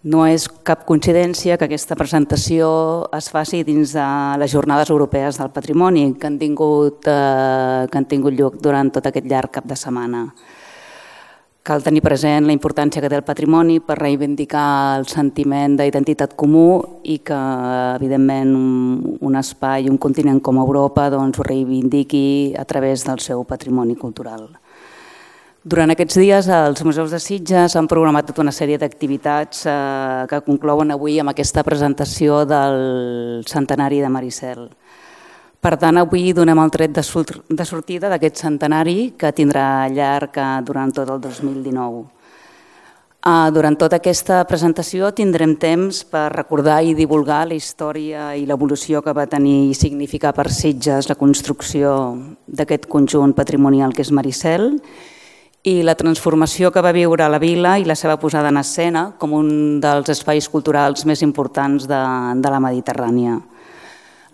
No és cap coincidència que aquesta presentació es faci dins de les Jornades Europees del Patrimoni que han tingut lloc durant tot aquest llarg cap de setmana. Cal tenir present la importància que té el patrimoni per reivindicar el sentiment d'identitat comú i que, evidentment, un espai, un continent com Europa ho reivindiqui a través del seu patrimoni cultural. Durant aquests dies, els museus de Sitges han programat tota una sèrie d'activitats que conclouen avui amb aquesta presentació del centenari de Maricel. Per tant, avui donem el tret de sortida d'aquest centenari que tindrà llarg durant tot el 2019. Durant tota aquesta presentació tindrem temps per recordar i divulgar la història i l'evolució que va tenir i significar per Sitges la construcció d'aquest conjunt patrimonial que és Maricel i la transformació que va viure la vila i la seva posada en escena com un dels espais culturals més importants de la Mediterrània.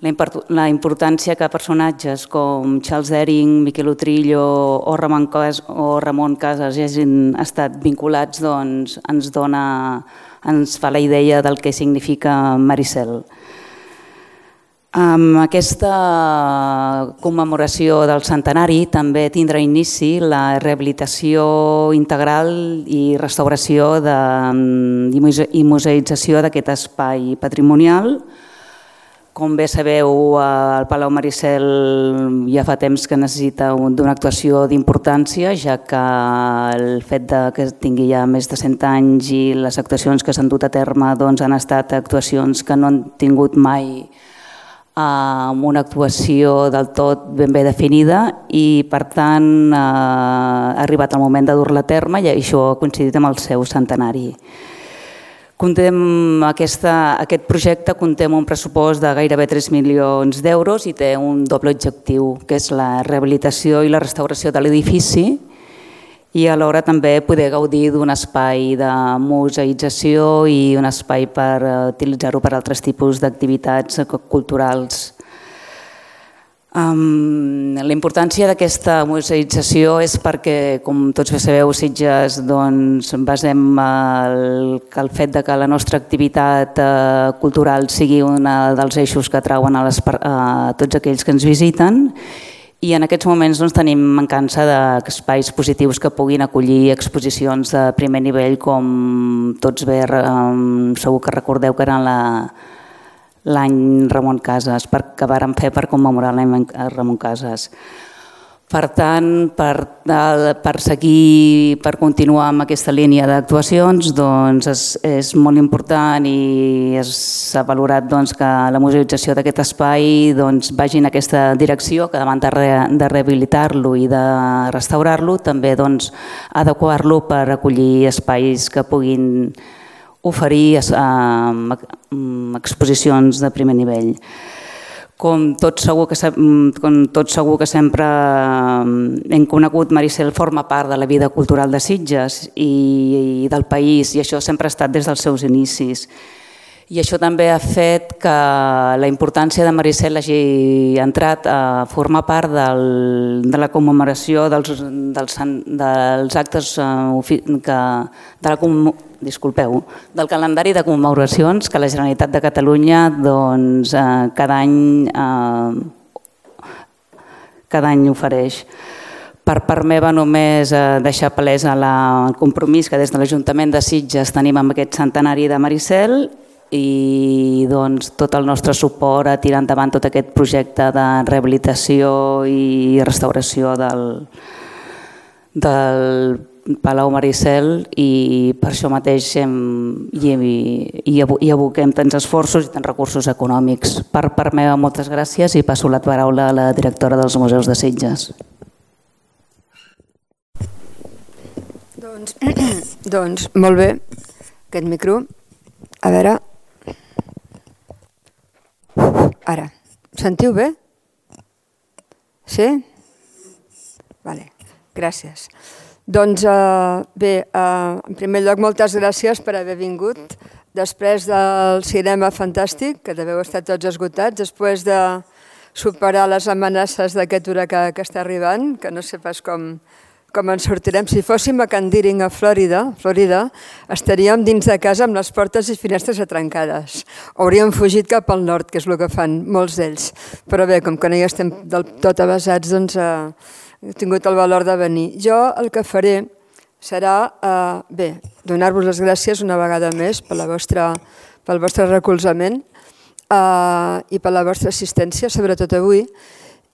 La importància que personatges com Charles Dering, Miquel Utrillo o Ramon Casas hagin estat vinculats ens fa la idea del que significa Maricel. Amb aquesta commemoració del centenari també tindrà inici la rehabilitació integral i restauració i museïtzació d'aquest espai patrimonial. Com bé sabeu, el Palau Maricel ja fa temps que necessita d'una actuació d'importància, ja que el fet que tingui ja més de 100 anys i les actuacions que s'han dut a terme han estat actuacions que no han tingut mai una actuació del tot ben bé definida i, per tant, ha arribat el moment de dur-la a terme i això ha coincidit amb el seu centenari. Aquest projecte conté un pressupost de gairebé 3 milions d'euros i té un doble objectiu, que és la rehabilitació i la restauració de l'edifici i alhora també poder gaudir d'un espai de museïtzació i un espai per utilitzar-ho per altres tipus d'activitats culturals. La importància d'aquesta museïtzació és perquè, com tots bé sabeu, Sitges basem el fet que la nostra activitat cultural sigui un dels eixos que atrauen a tots aquells que ens visiten i en aquests moments tenim mancança d'espais positius que puguin acollir exposicions de primer nivell com tots bé segur que recordeu que eren l'any Ramon Casas, que vàrem fer per commemorar l'any Ramon Casas. Per tant, per seguir, per continuar amb aquesta línia d'actuacions, és molt important i s'ha valorat que la museïtzació d'aquest espai vagi en aquesta direcció, que davant de rehabilitar-lo i de restaurar-lo, també adequar-lo per acollir espais que puguin oferir exposicions de primer nivell. Com tots segur que sempre hem conegut, Maricel forma part de la vida cultural de Sitges i del país i això sempre ha estat des dels seus inicis. I això també ha fet que la importància de Maricel hagi entrat a formar part de la commemoració dels actes del calendari de commemoracions que la Generalitat de Catalunya cada any ofereix. Per part meva només deixar palès el compromís que des de l'Ajuntament de Sitges tenim amb aquest centenari de Maricel i tot el nostre suport a tirar endavant tot aquest projecte de rehabilitació i restauració del Palau Maricel i per això mateix hi aboquem tants esforços i tants recursos econòmics. Per part meva, moltes gràcies i passo la paraula a la directora dels Museus de Sitges. Doncs molt bé, aquest micro. A veure... Ara, sentiu bé? Sí? Vale, gràcies. Doncs bé, en primer lloc, moltes gràcies per haver vingut. Després del cinema fantàstic, que deveu estar tots esgotats, després de superar les amenaces d'aquest huracà que està arribant, que no sé pas com com ens sortirem. Si fóssim a Can Deering, a Florida, estaríem dins de casa amb les portes i finestres atrancades. Hauríem fugit cap al nord, que és el que fan molts d'ells. Però bé, com que no hi estem del tot avasats, doncs he tingut el valor de venir. Jo el que faré serà, donar-vos les gràcies una vegada més pel vostre recolzament i per la vostra assistència, sobretot avui.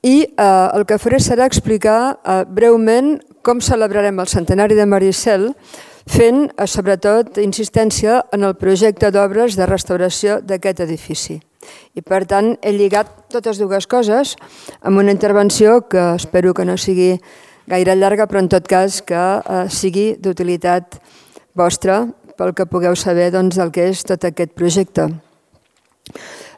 I el que faré serà explicar breument com celebrarem el centenari de Maricel, fent sobretot insistència en el projecte d'obres de restauració d'aquest edifici. I per tant he lligat totes dues coses amb una intervenció que espero que no sigui gaire llarga, però en tot cas que sigui d'utilitat vostra pel que pugueu saber del que és tot aquest projecte.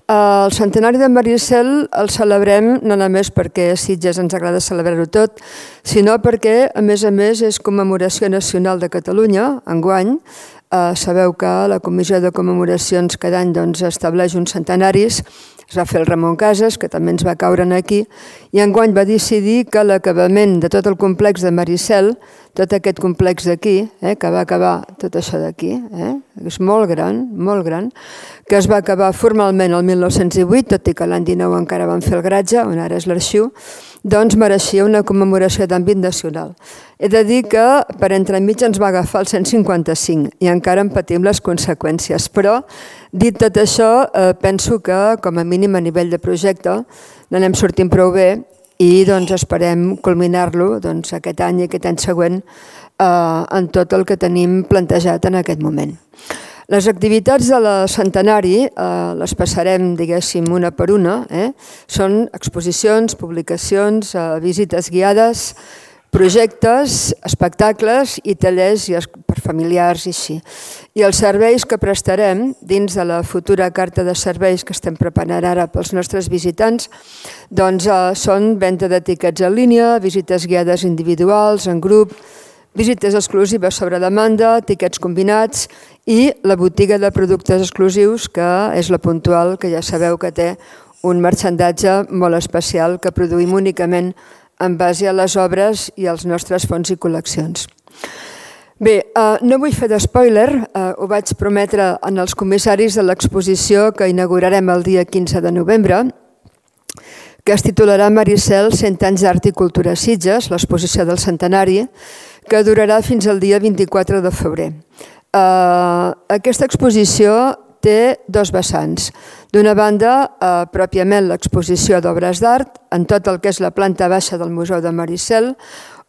El centenari de Maricel el celebrem no només perquè a Sitges ens agrada celebrar-ho tot, sinó perquè, a més, és commemoració nacional de Catalunya, enguany. Sabeu que la Comissió de Commemoracions cada any estableix uns centenaris. Es va fer el Ramon Casas, que també ens va caure aquí, i enguany va decidir que l'acabament de tot el complex de Maricel, tot aquest complex d'aquí, que va acabar tot això d'aquí, és molt gran, que es va acabar formalment el 1908, tot i que l'any 19 encara van fer el garatge, on ara és l'arxiu, doncs mereixia una commemoració d'àmbit nacional. He de dir que per entremig ens va agafar el 155 i encara en patim les conseqüències, però dit tot això, penso que com a mínim a nivell de projecte n'anem sortint prou bé i esperem culminar-lo aquest any i aquest any següent en tot el que tenim plantejat en aquest moment. Les activitats de la centenari les passarem, diguéssim, una per una. Són exposicions, publicacions, visites guiades, projectes, espectacles i tallers per familiars i així. I els serveis que prestarem dins de la futura carta de serveis que estem preparant ara pels nostres visitants són venda d'etiquets en línia, visites guiades individuals, en grup, visites exclusives sobre demanda, tiquets combinats i la botiga de productes exclusius, que és la Puntual, que ja sabeu que té un marxandatge molt especial que produïm únicament en base a les obres i als nostres fons i col·leccions. Bé, no vull fer d'espoiler, ho vaig prometre en els comissaris de l'exposició que inaugurarem el dia 15 de novembre, que es titularà Maricel, 100 anys d'art i cultura a Sitges, l'exposició del centenari, que durarà fins al dia 24 de febrer. Aquesta exposició té dos vessants. D'una banda, pròpiament l'exposició d'obres d'art en tot el que és la planta baixa del Museu de Maricel,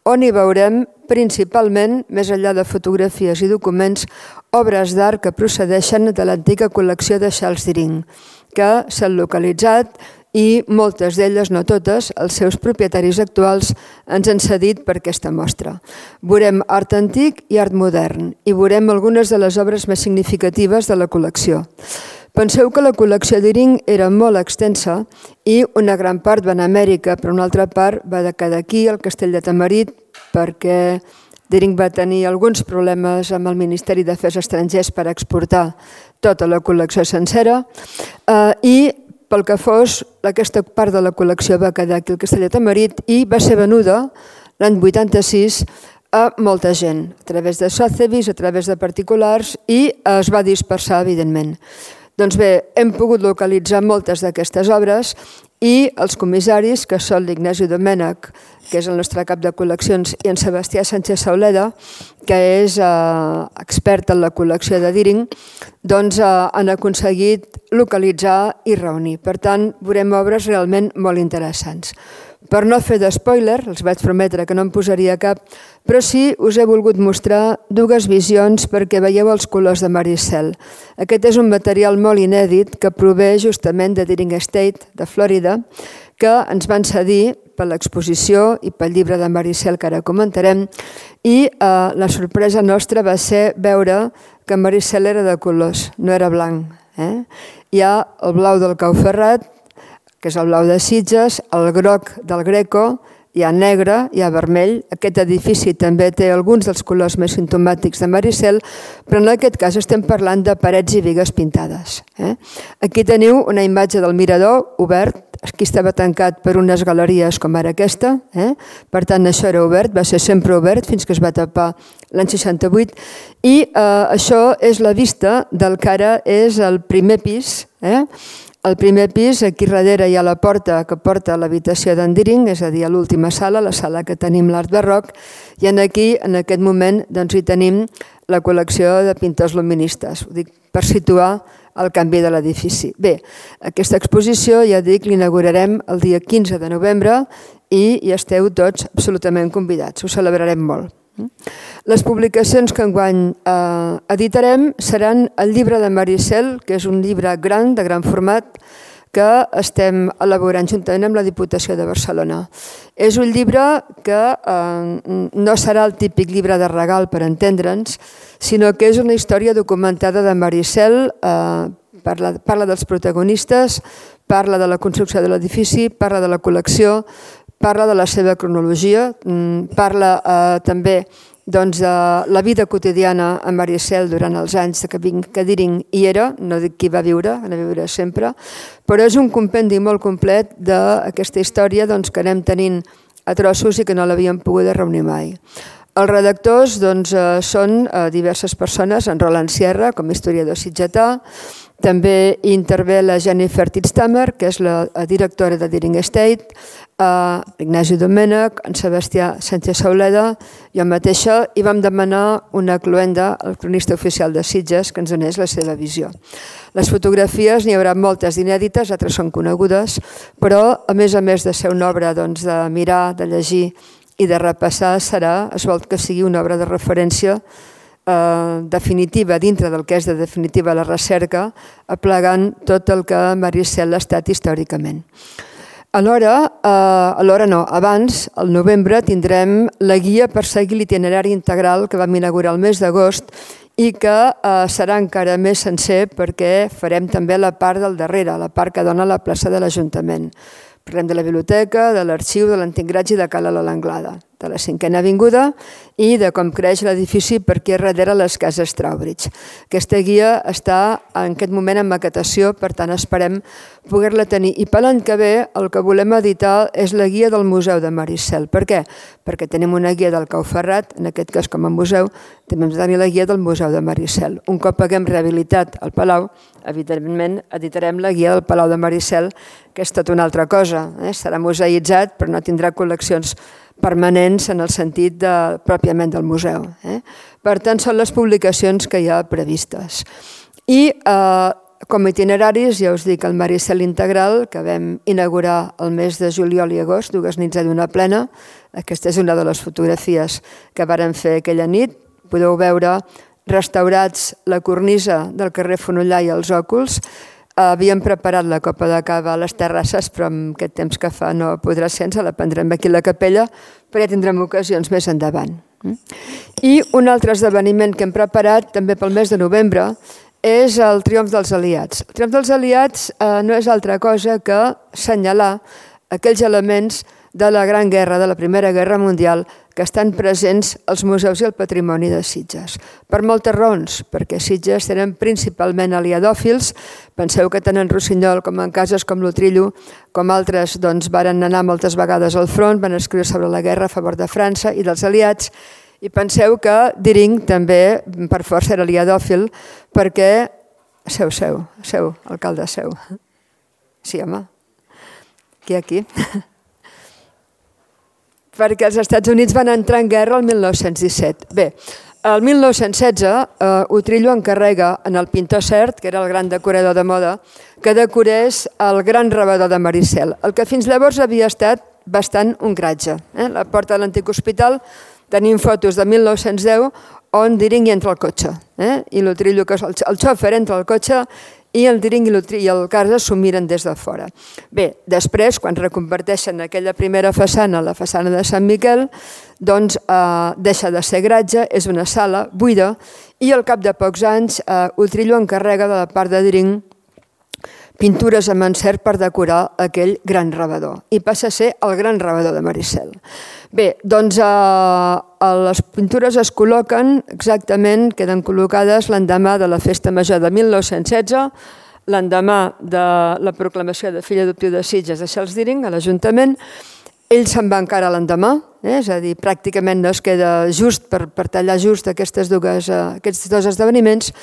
on hi veurem principalment, més enllà de fotografies i documents, obres d'art que procedeixen de l'antiga col·lecció de Charles Deering, que s'han localitzat i moltes d'elles, no totes, els seus propietaris actuals ens han cedit per aquesta mostra. Veurem art antic i art modern i veurem algunes de les obres més significatives de la col·lecció. Penseu que la col·lecció Deering era molt extensa i una gran part va anar a Amèrica, però una altra part va quedar aquí, al Castell de Tamarit, perquè Deering va tenir alguns problemes amb el Ministeri d'Afers Estrangers per exportar tota la col·lecció sencera i pel que fos, aquesta part de la col·lecció va quedar aquí al Castell de Tamarit i va ser venuda l'any 86 a molta gent, a través de Sotheby's, a través de particulars i es va dispersar, evidentment. Doncs bé, hem pogut localitzar moltes d'aquestes obres i els comissaris, que són l'Ignasi Domènech, que és el nostre cap de col·leccions, i en Sebastià Sánchez Sauleda, que és expert en la col·lecció de Deering, doncs han aconseguit localitzar i reunir. Per tant, veurem obres realment molt interessants. Per no fer d'espoiler, els vaig prometre que no en posaria cap, però sí us he volgut mostrar dues visions perquè veieu els colors de Maricel. Aquest és un material molt inèdit que prové justament de Deering Estate, de Florida, que ens van cedir per l'exposició i pel llibre de Maricel que ara comentarem, i la sorpresa nostra va ser veure que Maricel era de colors, no era blanc. Hi ha el blau del Cau Ferrat, que és el blau de Sitges, el groc del Greco, hi ha negre, hi ha vermell. Aquest edifici també té alguns dels colors més simptomàtics de Maricel, però en aquest cas estem parlant de parets i bigues pintades. Aquí teniu una imatge del mirador obert aquí estava tancat per unes galeries com ara aquesta, per tant això era obert, va ser sempre obert fins que es va tapar l'any 68, i això és la vista del que ara és el primer pis. Al primer pis, aquí darrere hi ha la porta que porta a l'habitació d'en Deering, és a dir, a l'última sala, la sala que tenim l'art barroc, i aquí, en aquest moment, hi tenim la col·lecció de pintors luministes, ho dic per situar el canvi de l'edifici. Bé, aquesta exposició, ja dic, l'inaugurarem el dia 15 de novembre i hi esteu tots absolutament convidats, ho celebrarem molt. Les publicacions que enguany editarem seran el llibre de Maricel, que és un llibre gran, de gran format, que estem elaborant juntament amb la Diputació de Barcelona. És un llibre que no serà el típic llibre de regal, per entendre'ns, sinó que és una història documentada de Maricel, parla dels protagonistes, parla de la construcció de l'edifici, parla de la col·lecció, parla de la seva cronologia, parla també de la vida quotidiana a Maricel durant els anys que Deering hi era, no dic qui va viure sempre, però és un compendi molt complet d'aquesta història que anem tenint a trossos i que no l'havíem pogut reunir mai. Els redactors són diverses persones, en Roland Sierra, com a historiador sitgetà, també hi intervé la Jennifer Titztamer, que és la directora de Deering Estate, l'Ignasi Domènech, en Sebastià Sánchez-Sauleda, jo mateixa, i vam demanar una cluenda al cronista oficial de Sitges que ens donés la seva visió. Les fotografies n'hi haurà moltes inèdites, altres són conegudes, però a més de ser una obra de mirar, de llegir i de repassar, es vol que sigui una obra de referència definitiva dintre del que és de definitiva la recerca, aplegant tot el que Maricel ha estat històricament. Abans, al novembre, tindrem la guia per seguir l'itinerari integral que vam inaugurar el mes d'agost i que serà encara més sencer perquè farem també la part del darrere, la part que dona a la plaça de l'Ajuntament. Parlem de la biblioteca, de l'arxiu, de l'antic Graig i de Cala l'Anglada, de la 5a Avinguda i de com creix l'edifici per aquí darrere les cases Trowbridge. Aquesta guia està en aquest moment en maquetació, per tant esperem poder-la tenir. I per l'any que ve el que volem editar és la guia del Museu de Maricel. Per què? Perquè tenim una guia del Cau Ferrat, en aquest cas com a museu, també hem de tenir la guia del Museu de Maricel. Un cop haguem rehabilitat el Palau, evidentment editarem la guia del Palau de Maricel, que és tot una altra cosa. Serà museïtzat, però no tindrà col·leccions permanents en el sentit pròpiament del museu. Per tant, són les publicacions que hi ha previstes. I com a itineraris, ja us dic, el Maricel Integral, que vam inaugurar el mes de juliol i agost, 2 nits de lluna plena. Aquesta és una de les fotografies que vàrem fer aquella nit. Podeu veure restaurats la cornisa del carrer Fonollar i els òculs. Havíem preparat la copa de cava a les terrasses, però amb aquest temps que fa no podrà ser, ens la prendrem aquí a la capella, però ja tindrem ocasions més endavant. I un altre esdeveniment que hem preparat també pel mes de novembre és el Triomf dels Aliats. El Triomf dels Aliats no és altra cosa que assenyalar aquells elements de la Gran Guerra, de la Primera Guerra Mundial, que estan presents als museus i al patrimoni de Sitges. Per moltes raons, perquè Sitges tenen principalment aliadòfils. Penseu que tant en Rossinyol com en cases com l'Utrillo, com altres, varen anar moltes vegades al front, van escriure sobre la guerra a favor de França i dels aliats, i penseu que Deering també, per força, era aliadòfil, perquè... Seu, alcalde, seu. Sí, home. Aquí. Perquè els Estats Units van entrar en guerra el 1917. Bé, el 1916 Utrillo encarrega en el pintor Sert, que era el gran decorador de moda, que decorés el gran rebedor de Maricel, el que fins llavors havia estat bastant un garatge. La porta de l'antic hospital tenim fotos de 1910 on Deering hi entra al cotxe i l'Utrillo, que és el xòfer, entra al cotxe i el Deering i el Casas s'ho miren des de fora. Bé, després, quan reconverteixen aquella primera façana, la façana de Sant Miquel, doncs deixa de ser garatge, és una sala buida i al cap de pocs anys Utrillo encarrega de la part de Deering pintures amb encert per decorar aquell gran rebedor i passa a ser el gran rebedor de Maricel. Bé, doncs les pintures es col·loquen exactament, queden col·locades l'endemà de la Festa Major de 1916 l'endemà de la proclamació de fill adoptiu de Sitges de Charles Deering a l'Ajuntament. Ell se'n va encara l'endemà, és a dir, pràcticament no es queda just per tallar just aquests dos esdeveniments,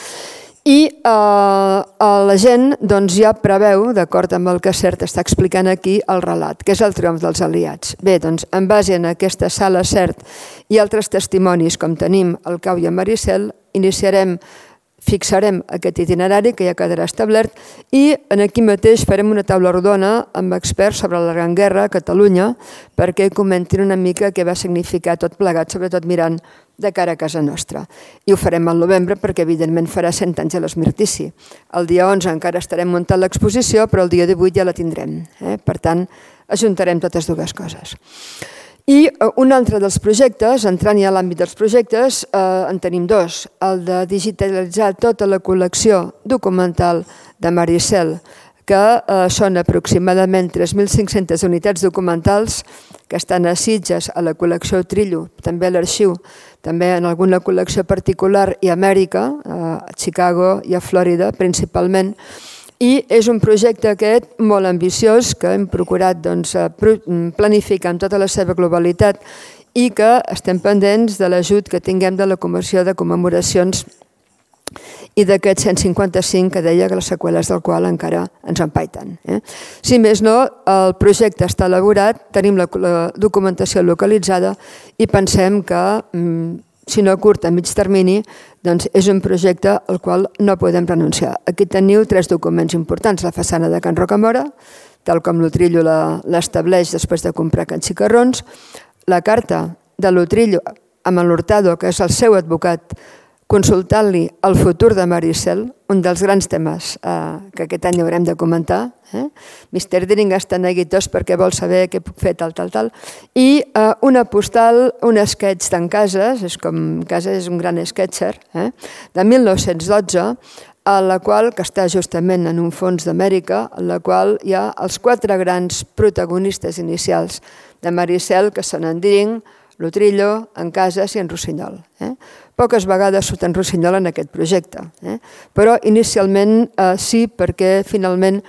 i la gent ja preveu, d'acord amb el que CERT està explicant aquí, el relat, que és el triomf dels aliats. Bé, doncs, en base a aquesta sala CERT i altres testimonis, com tenim el Cau i en Maricel, fixarem aquest itinerari que ja quedarà establert i aquí mateix farem una taula rodona amb experts sobre la Gran Guerra a Catalunya perquè comentin una mica què va significar tot plegat, sobretot mirant de cara a casa nostra. I ho farem al novembre perquè evidentment farà 100 anys de l'esmirtici. El dia 11 encara estarem muntant l'exposició, però el dia 18 ja la tindrem. Per tant, ajuntarem totes dues coses. I un altre dels projectes, entrant ja a l'àmbit dels projectes, en tenim dos. El de digitalitzar tota la col·lecció documental de Maricel, que són aproximadament 3.500 unitats documentals que estan a Sitges, a la col·lecció Trillo, també a l'arxiu, també en alguna col·lecció particular i a Amèrica, a Chicago i a Florida principalment. I és un projecte aquest molt ambiciós que hem procurat planificar en tota la seva globalitat i que estem pendents de l'ajut que tinguem de la Comissió de Commemoracions i d'aquest 155 que deia que les seqüeles del qual encara ens empaiten. Si més no, el projecte està elaborat, tenim la documentació localitzada i pensem que si no a curt, a mig termini, doncs és un projecte al qual no podem renunciar. Aquí teniu 3 documents importants. La façana de Can Rocamora, tal com l'Utrillo l'estableix després de comprar Can Xicarrons, la carta de l'Utrillo amb l'Hurtado, que és el seu advocat, consultant-li el futur de Maricel, un dels grans temes que aquest any haurem de comentar. Mr. Deering està neguitós perquè vol saber què puc fer, tal. I una postal, un sketch d'en Casas, Casas és un gran sketcher, de 1912, a la qual, que està justament en un fons d'Amèrica, en la qual hi ha els 4 grans protagonistes inicials de Maricel, que són en Deering, l'Utrillo, en Casas i en Rossinyol. Poques vegades surt en Rossinyol en aquest projecte, però inicialment sí, perquè finalment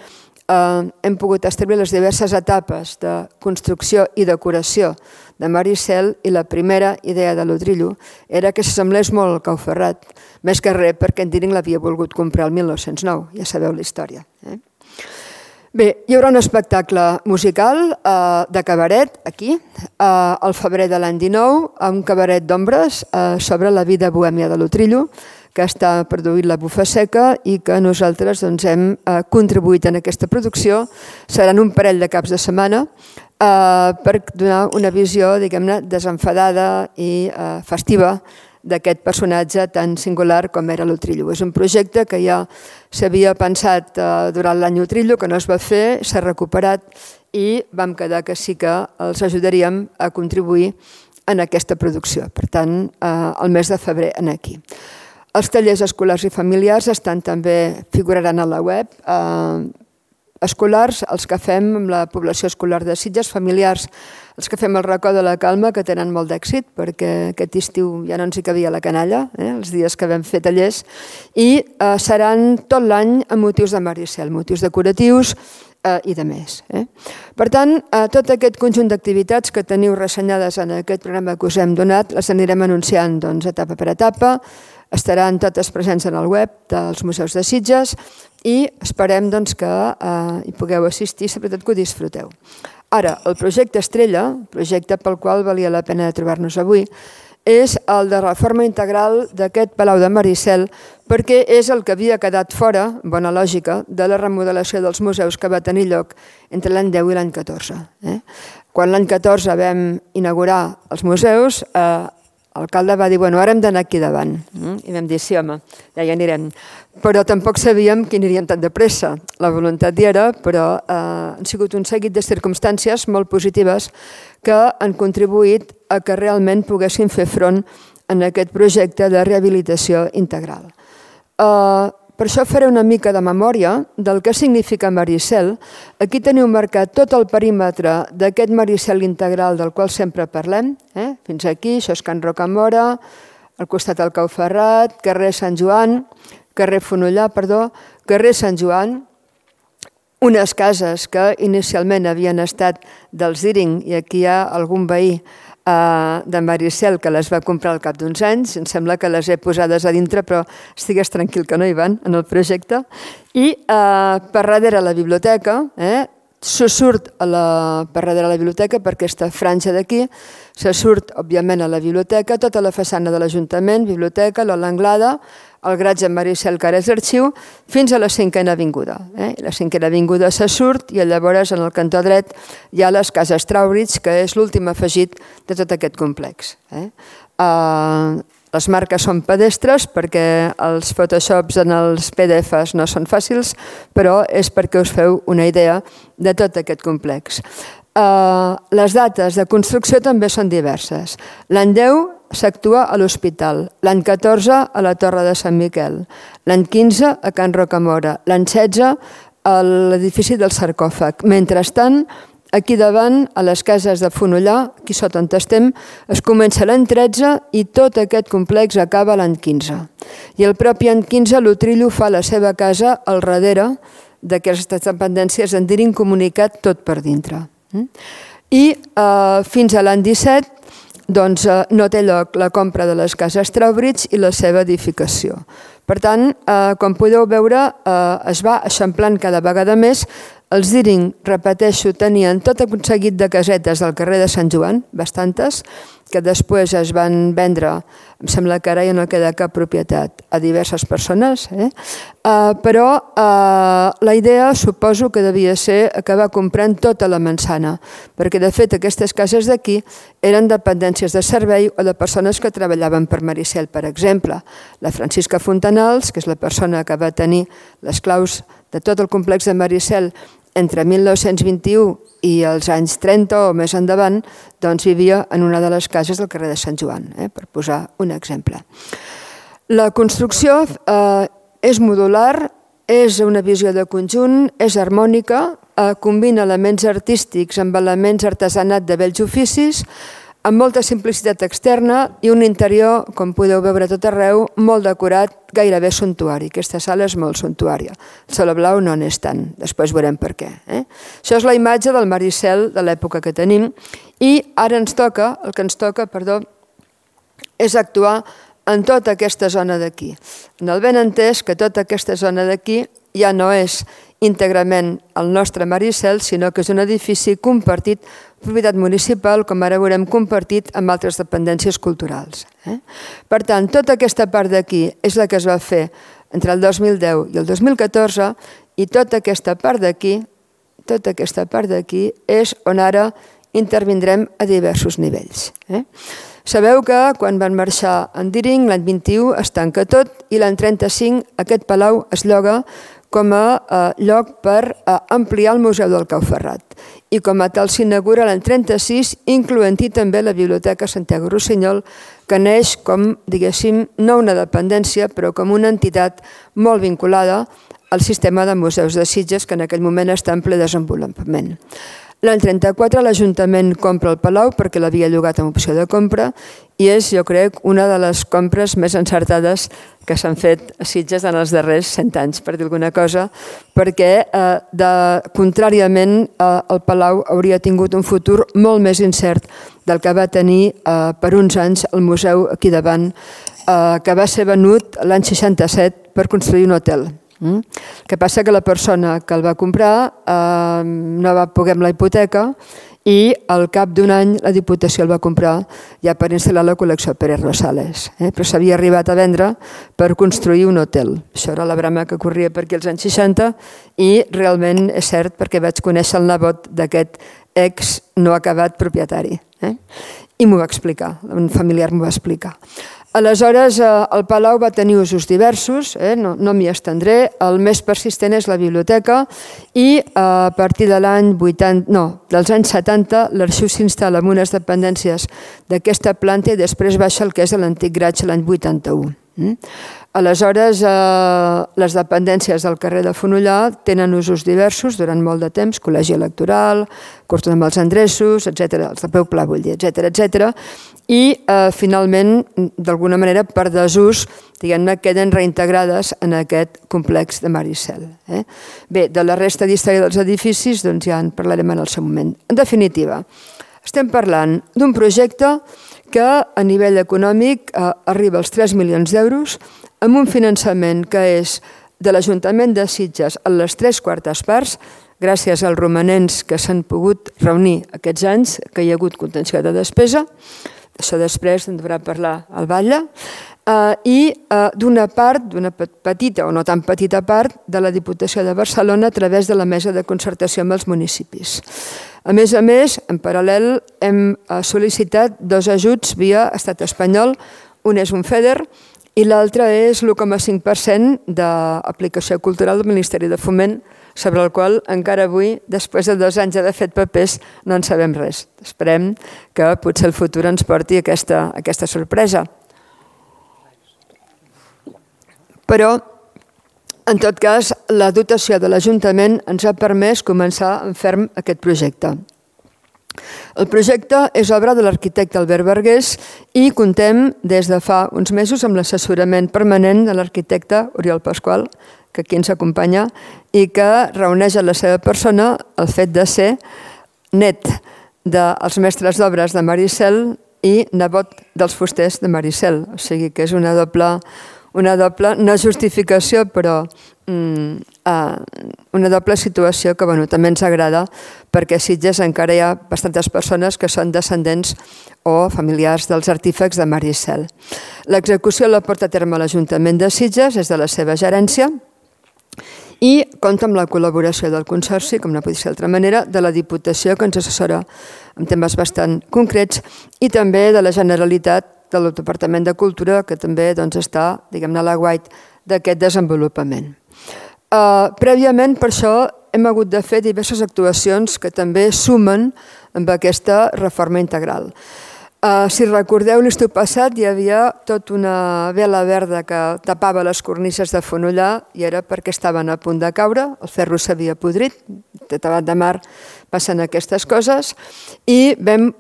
hem pogut establir les diverses etapes de construcció i decoració de Maricel i la primera idea de l'Utrillo era que s'assemblés molt al Cau Ferrat, més que res perquè en Deering l'havia volgut comprar el 1909, ja sabeu la història. Bé, hi haurà un espectacle musical de cabaret aquí, al febrer de l'any 19, un cabaret d'ombres sobre la vida bohèmia de l'Utrillo, que està produint la Bufa Seca i que nosaltres hem contribuït en aquesta producció. Seran un parell de caps de setmana per donar una visió, diguem-ne, desenfadada i festiva d'aquest personatge tan singular com era l'Utrillo. És un projecte que ja s'havia pensat durant l'any Utrillo, que no es va fer, s'ha recuperat i vam quedar que sí que els ajudaríem a contribuir en aquesta producció. Per tant, el mes de febrer aquí. Els tallers escolars i familiars també figuraran a la web. Escolars, els que fem amb la població escolar de Sitges, familiars, els que fem el racó de la Calma, que tenen molt d'èxit, perquè aquest estiu ja no ens hi cabia la canalla, els dies que vam fer tallers, i seran tot l'any amb motius de Maricel, motius decoratius i de més. Per tant, tot aquest conjunt d'activitats que teniu ressenyades en aquest programa que us hem donat, les anirem anunciant etapa per etapa, estaran totes presents en el web dels museus de Sitges i esperem que hi pugueu assistir, sobretot que ho disfruteu. Ara, el projecte Estrella, el projecte pel qual valia la pena de trobar-nos avui, és el de reforma integral d'aquest Palau de Maricel, perquè és el que havia quedat fora, bona lògica, de la remodelació dels museus que va tenir lloc entre l'any 10 i l'any 14. Quan l'any 14 vam inaugurar els museus, l'alcalde va dir, ara hem d'anar aquí davant. I vam dir, sí, home, ja hi anirem. Però tampoc sabíem que aniríem tan de pressa. La voluntat hi era, però han sigut un seguit de circumstàncies molt positives que han contribuït a que realment poguessin fer front en aquest projecte de rehabilitació integral. Per això faré una mica de memòria del que significa Maricel. Aquí teniu marcat tot el perímetre d'aquest Maricel integral del qual sempre parlem. Fins aquí, això és Can Rocamora, al costat del Cau Ferrat, carrer Sant Joan, carrer Fonollar, carrer Sant Joan, unes cases que inicialment havien estat dels Diring, i aquí hi ha algun veí de Maricel que les va comprar al cap d'uns anys, em sembla que les he posades a dintre, però estigues tranquil que no hi van en el projecte, i per darrere la biblioteca, se surt per darrere la biblioteca, per aquesta franja d'aquí, se surt, òbviament, a la biblioteca, tota la façana de l'Ajuntament, biblioteca, l'Anglada, el garatge Maricel, que ara és l'arxiu, fins a la 5a Avinguda. La 5a Avinguda se surt i llavors en el cantó dret hi ha les cases Trowbridge, que és l'últim afegit de tot aquest complex. Les marques són pedestres perquè els photoshops en els PDFs no són fàcils, però és perquè us feu una idea de tot aquest complex. Les dates de construcció també són diverses. L'any 10 s'actua a l'Hospital, l'any 14 a la Torre de Sant Miquel, l'any 15 a Can Rocamora, l'any 16 a l'edifici del sarcòfag. Mentrestant, aquí davant, a les cases de Fonollar, aquí sota on estem, es comença l'any 13 i tot aquest complex acaba l'any 15. I el propi any 15 l'Utrillo fa la seva casa al darrere d'aquestes dependències en Diring comunicat tot per dintre. I fins a l'any 17 no té lloc la compra de les cases Trowbridge i la seva edificació. Per tant, com podeu veure, es va eixamplant cada vegada més. Els Diring, repeteixo, tenien tot un seguit de casetes del carrer de Sant Joan, bastantes, que després es van vendre, em sembla que ara ja no queda cap propietat, a diverses persones, però la idea suposo que devia ser acabar comprant tota la Mansana, perquè de fet aquestes cases d'aquí eren dependències de servei o de persones que treballaven per Maricel, per exemple. La Francisca Fontanals, que és la persona que va tenir les claus de tot el complex de Maricel entre 1921 i els anys 30 o més endavant, doncs vivia en una de les cases del carrer de Sant Joan, per posar un exemple. La construcció és modular, és una visió de conjunt, és harmònica, combina elements artístics amb elements artesanat de vells oficis, amb molta simplicitat externa i un interior, com podeu veure tot arreu, molt decorat, gairebé suntuari. Aquesta sala és molt suntuària. El Saló Blau no n'és tant, després veurem per què. Això és la imatge del Maricel de l'època que tenim i ara el que ens toca, és actuar en tota aquesta zona d'aquí. En el benentès que tota aquesta zona d'aquí ja no és íntegrament el nostre Maricel, sinó que és un edifici compartit, propietat municipal, com ara veurem, compartit amb altres dependències culturals. Per tant, tota aquesta part d'aquí és la que es va fer entre el 2010 i el 2014 i tota aquesta part d'aquí és on ara intervindrem a diversos nivells. Sabeu que quan van marxar en Diring, l'any 21 es tanca tot i l'any 35 aquest palau es lloga com a lloc per ampliar el Museu del Cau Ferrat. I com a tal s'inaugura l'any 36, incloent-hi també la Biblioteca Santiago Rossinyol, que neix com, diguéssim, no una dependència, però com una entitat molt vinculada al sistema de museus de Sitges, que en aquell moment està en ple desenvolupament. L'any 34 l'Ajuntament compra el Palau perquè l'havia llogat amb opció de compra i és, jo crec, una de les compres més encertades que s'han fet a Sitges en els darrers 100 anys, per dir alguna cosa, perquè, contràriament, el Palau hauria tingut un futur molt més incert del que va tenir per uns anys el museu aquí davant, que va ser venut l'any 67 per construir un hotel. El que passa que la persona que el va comprar no va poder amb la hipoteca i al cap d'un any la Diputació el va comprar ja per instal·lar la col·lecció Pérez Rosales, però s'havia arribat a vendre per construir un hotel. Això era la brama que corria per aquí als anys 60 i realment és cert perquè vaig conèixer el nebot d'aquest ex no acabat propietari i m'ho va explicar, un familiar m'ho va explicar. Aleshores, el Palau va tenir usos diversos, no m'hi estendré, el més persistent és la biblioteca i a partir dels anys 70 l'arxiu s'instal·la en unes dependències d'aquesta planta i després baixa el que és l'antic garatge l'any 81. Aleshores, les dependències del carrer de Fonollar tenen usos diversos durant molt de temps, col·legi electoral, costum amb els endreços, etc., els de peu pla, vull dir, etc. i finalment, d'alguna manera, per desús, diguem-ne, queden reintegrades en aquest complex de Maricel. Bé, de la resta d'història dels edificis ja en parlarem en el seu moment. En definitiva, estem parlant d'un projecte que a nivell econòmic arriba als 3 milions d'euros amb un finançament que és de l'Ajuntament de Sitges a les 3/4 parts, gràcies als romanents que s'han pogut reunir aquests anys, que hi ha hagut contenció de despesa. Això després en deurà parlar el Batlle, i d'una part, d'una petita o no tan petita part, de la Diputació de Barcelona a través de la Mesa de Concertació amb els municipis. A més, en paral·lel hem sol·licitat 2 ajuts via Estat espanyol, un és un FEDER i l'altre és l'1,5% d'aplicació cultural del Ministeri de Foment, sobre el qual encara avui, després de 2 anys d'haver fet papers, no en sabem res. Esperem que potser el futur ens porti aquesta sorpresa. Però, en tot cas, la dotació de l'Ajuntament ens ha permès començar en ferm aquest projecte. El projecte és obra de l'arquitecte Albert Vergés i contem des de fa uns mesos amb l'assessorament permanent de l'arquitecte Oriol Pasqual, que aquí ens acompanya, i que reuneix en la seva persona el fet de ser net dels mestres d'obres de Maricel i nebot dels fusters de Maricel. O sigui que és una doble, no justificació, però una doble situació que també ens agrada, perquè a Sitges encara hi ha bastantes persones que són descendents o familiars dels artífex de Maricel. L'execució la porta a terme l'Ajuntament de Sitges, és de la seva gerència, i compta amb la col·laboració del Consorci, com no pot ser d'altra manera, de la Diputació, que ens assessora en temes bastant concrets, i també de la Generalitat, del Departament de Cultura, que també està, diguem-ne, a l'aguait d'aquest desenvolupament. Prèviament, per això, hem hagut de fer diverses actuacions que també sumen amb aquesta reforma integral. Si recordeu, l'estiu passat hi havia tota una vela verda que tapava les cornises de Fonollar i era perquè estaven a punt de caure, el ferro s'havia podrit, de tabat de mar passen aquestes coses, i vam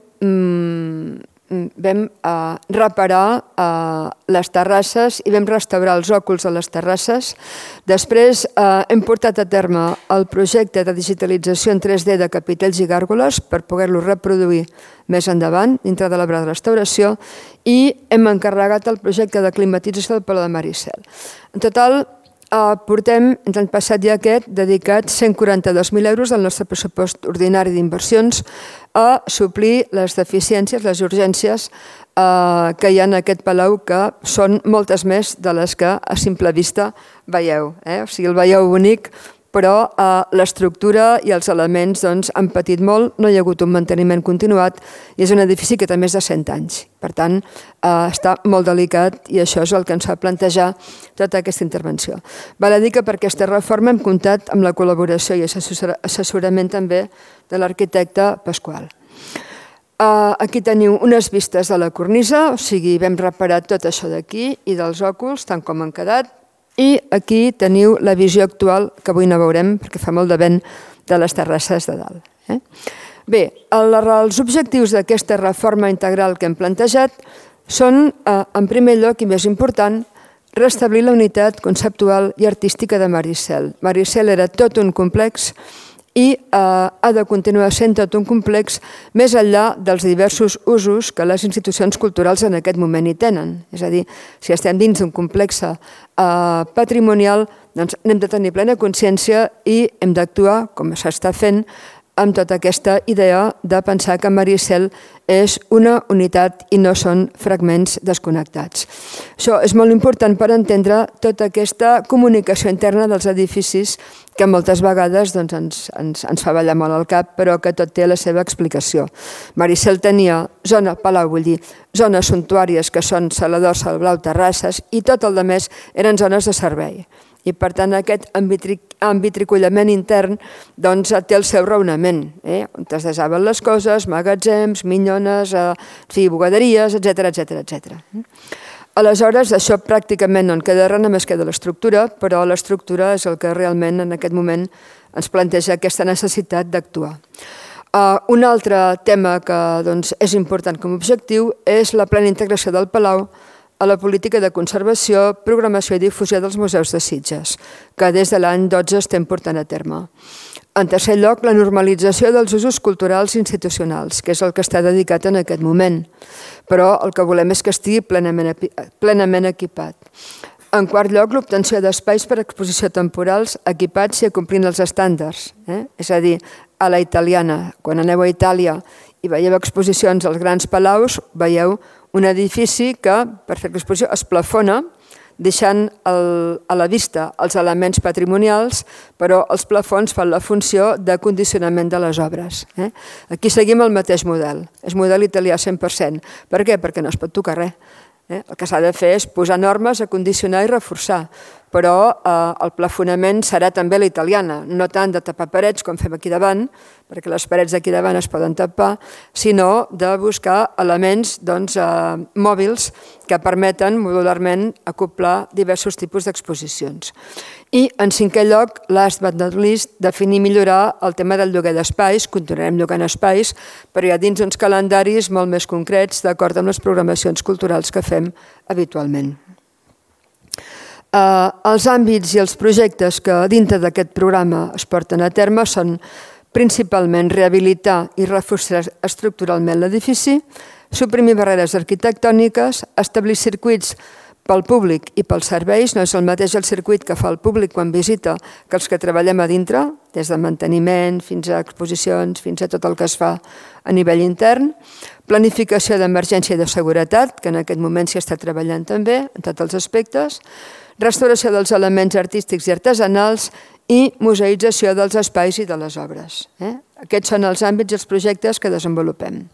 reparar les terrasses i vam restaurar els òculs de les terrasses. Després hem portat a terme el projecte de digitalització en 3D de capitells i gàrgoles per poder-lo reproduir més endavant, dintre de l'obra de restauració, i hem encarregat el projecte de climatització del Palau de Maricel. En total, portem, entre l'any passat i aquest, dedicats 142.000 euros del nostre pressupost ordinari d'inversions a suplir les deficiències, les urgències que hi ha en aquest palau, que són moltes més de les que a simple vista veieu. O sigui, el veieu bonic, però l'estructura i els elements han patit molt, no hi ha hagut un manteniment continuat i és un edifici que té més de 100 anys. Per tant, està molt delicat i això és el que ens fa plantejar tota aquesta intervenció. Val a dir que per aquesta reforma hem comptat amb la col·laboració i assessorament també de l'arquitecte Pasqual. Aquí teniu unes vistes de la cornisa, o sigui, vam reparar tot això d'aquí i dels òculs, tant com han quedat, i aquí teniu la visió actual, que avui no veurem perquè fa molt de vent, de les terrasses de dalt. Bé, els objectius d'aquesta reforma integral que hem plantejat són, en primer lloc i més important, restablir la unitat conceptual i artística de Maricel. Maricel era tot un complex i ha de continuar sent tot un complex més enllà dels diversos usos que les institucions culturals en aquest moment hi tenen. És a dir, si estem dins d'un complex patrimonial, doncs n'hem de tenir plena consciència i hem d'actuar, com s'està fent, amb tota aquesta idea de pensar que Maricel és una unitat i no són fragments desconnectats. Això és molt important per entendre tota aquesta comunicació interna dels edificis que moltes vegades ens fa ballar molt al cap, però que tot té la seva explicació. Maricel tenia zona palau, vull dir, zones suntuàries que són Salador, Salblau, terrasses, i tot el més eren zones de servei. I per tant aquest envitricullament intern té el seu raonament, on es desaven les coses, magatzems, minyones, bugaderies, etc. Aleshores, això pràcticament no en queda res, només queda l'estructura, però l'estructura és el que realment en aquest moment ens planteja aquesta necessitat d'actuar. Un altre tema que és important com a objectiu és la plena integració del Palau a la política de conservació, programació i difusió dels museus de Sitges, que des de l'any 12 estem portant a terme. En tercer lloc, la normalització dels usos culturals institucionals, que és el que està dedicat en aquest moment, però el que volem és que estigui plenament equipat. En quart lloc, l'obtenció d'espais per a exposició temporals equipats i acomplint els estàndards, és a dir, a la italiana. Quan aneu a Itàlia i veieu exposicions als grans palaus, veieu un edifici que, per fer l'exposició, es plafona, deixant a la vista els elements patrimonials, però els plafons fan la funció de condicionament de les obres. Aquí seguim el mateix model, és model italià 100%. Per què? Perquè no es pot tocar res. El que s'ha de fer és posar normes, acondicionar i reforçar, però el plafonament serà també la italiana, no tant de tapar parets com fem aquí davant, perquè les parets d'aquí davant es poden tapar, sinó de buscar elements mòbils que permeten modularment acoplar diversos tipus d'exposicions. I, en cinquè lloc, last but not least, definir i millorar el tema del lloguer d'espais. Continuarem llogant espais, però ja dins uns calendaris molt més concrets, d'acord amb les programacions culturals que fem habitualment. Els àmbits i els projectes que dintre d'aquest programa es porten a terme són principalment rehabilitar i reforçar estructuralment l'edifici, suprimir barreres arquitectòniques, establir circuits pel públic i pels serveis. No és el mateix el circuit que fa el públic quan visita que els que treballem a dintre, des de manteniment fins a exposicions, fins a tot el que es fa a nivell intern. Planificació d'emergència i de seguretat, que en aquest moment s'hi està treballant també, en tots els aspectes. Restauració dels elements artístics i artesanals i museïtzació dels espais i de les obres. Aquests són els àmbits i els projectes que desenvolupem.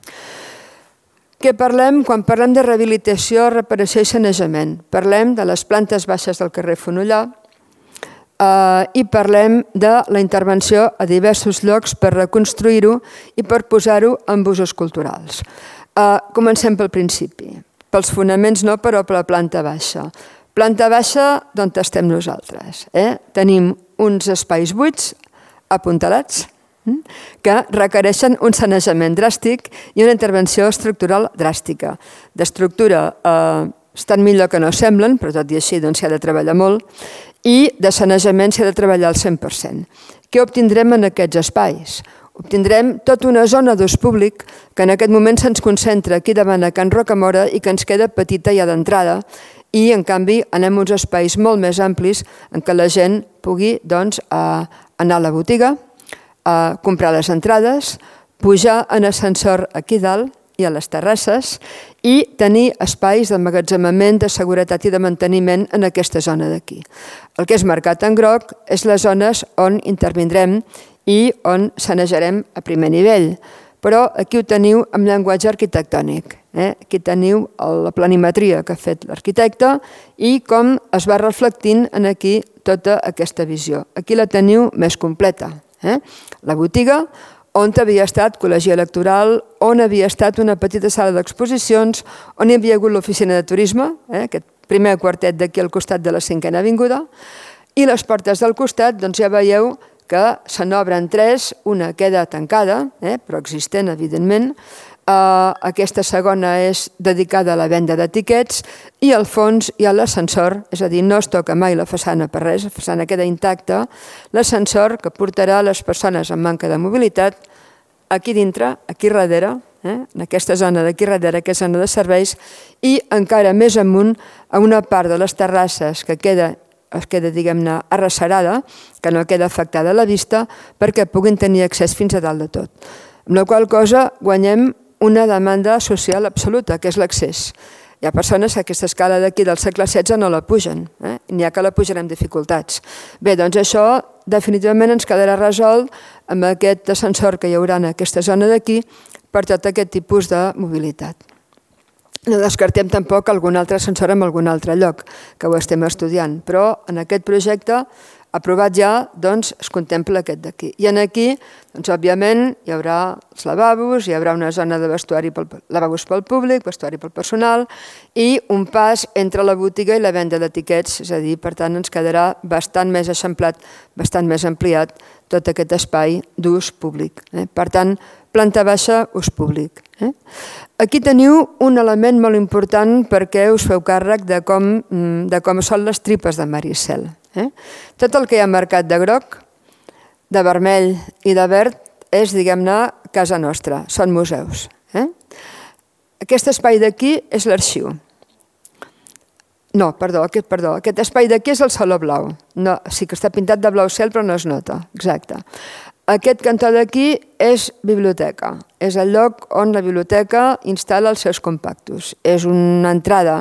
Què parlem? Quan parlem de rehabilitació, reparació i sanejament, parlem de les plantes baixes del carrer Fonollar i parlem de la intervenció a diversos llocs per reconstruir-ho i per posar-ho en usos culturals. Comencem pel principi. Pels fonaments no, però per la planta baixa. Planta baixa d'on estem nosaltres. Tenim uns espais buits, apuntalats, que requereixen un sanejament dràstic i una intervenció estructural dràstica. D'estructura estan millor que no semblen, però tot i així s'hi ha de treballar molt, i de sanejament s'hi ha de treballar al 100%. Què obtindrem en aquests espais? Obtindrem tota una zona d'ús públic que en aquest moment se'ns concentra aquí davant a Can Rocamora i que ens queda petita ja d'entrada, i en canvi anem a uns espais molt més amplis en què la gent pugui anar a la botiga, a comprar les entrades, pujar en ascensor aquí dalt i a les terrasses i tenir espais d'emmagatzemament, de seguretat i de manteniment en aquesta zona d'aquí. El que és marcat en groc és les zones on intervindrem i on sanejarem a primer nivell. Però aquí ho teniu amb llenguatge arquitectònic. Aquí teniu la planimetria que ha fet l'arquitecte i com es va reflectint en aquí tota aquesta visió. Aquí la teniu més completa. La botiga, on havia estat col·legi electoral, on havia estat una petita sala d'exposicions, on hi havia hagut l'oficina de turisme, aquest primer quartet d'aquí al costat de la 5a Avinguda, i les portes del costat ja veieu que se n'obren 3, una queda tancada, però existent, evidentment. Aquesta segona és dedicada a la venda d'etiquets i al fons hi ha l'ascensor, és a dir, no es toca mai la façana per res, la façana queda intacta, l'ascensor que portarà les persones amb manca de mobilitat aquí dintre, aquí darrere, en aquesta zona d'aquí darrere, que és zona de serveis, i encara més amunt a una part de les terrasses que es queda, diguem-ne, arrecerada, que no queda afectada a la vista, perquè puguin tenir accés fins a dalt de tot. Amb la qual cosa guanyem una demanda social absoluta, que és l'accés. Hi ha persones que aquesta escala d'aquí del segle XVI no la pugen, n'hi ha que la pugen amb dificultats. Bé, doncs això definitivament ens quedarà resolt amb aquest ascensor que hi haurà en aquesta zona d'aquí per tot aquest tipus de mobilitat. No descartem tampoc algun altre ascensor en algun altre lloc, que ho estem estudiant, però en aquest projecte aprovat ja, es contempla aquest d'aquí. I aquí, òbviament, hi haurà els lavabos, hi haurà una zona de lavabos pel públic, vestuari pel personal, i un pas entre la botiga i la venda d'etiquets, és a dir, per tant, ens quedarà bastant més eixamplat, bastant més ampliat tot aquest espai d'ús públic. Per tant, planta baixa, ús públic. Aquí teniu un element molt important perquè us feu càrrec de com són les tripes de Maricel. Tot el que hi ha marcat de groc, de vermell i de verd és, diguem-ne, casa nostra, són museus. Aquest espai d'aquí és l'arxiu. No, perdó, aquest espai d'aquí és el Saló Blau. Sí que està pintat de blau cel però no es nota, exacte. Aquest cantó d'aquí és biblioteca, és el lloc on la biblioteca instal·la els seus compactos. És una entrada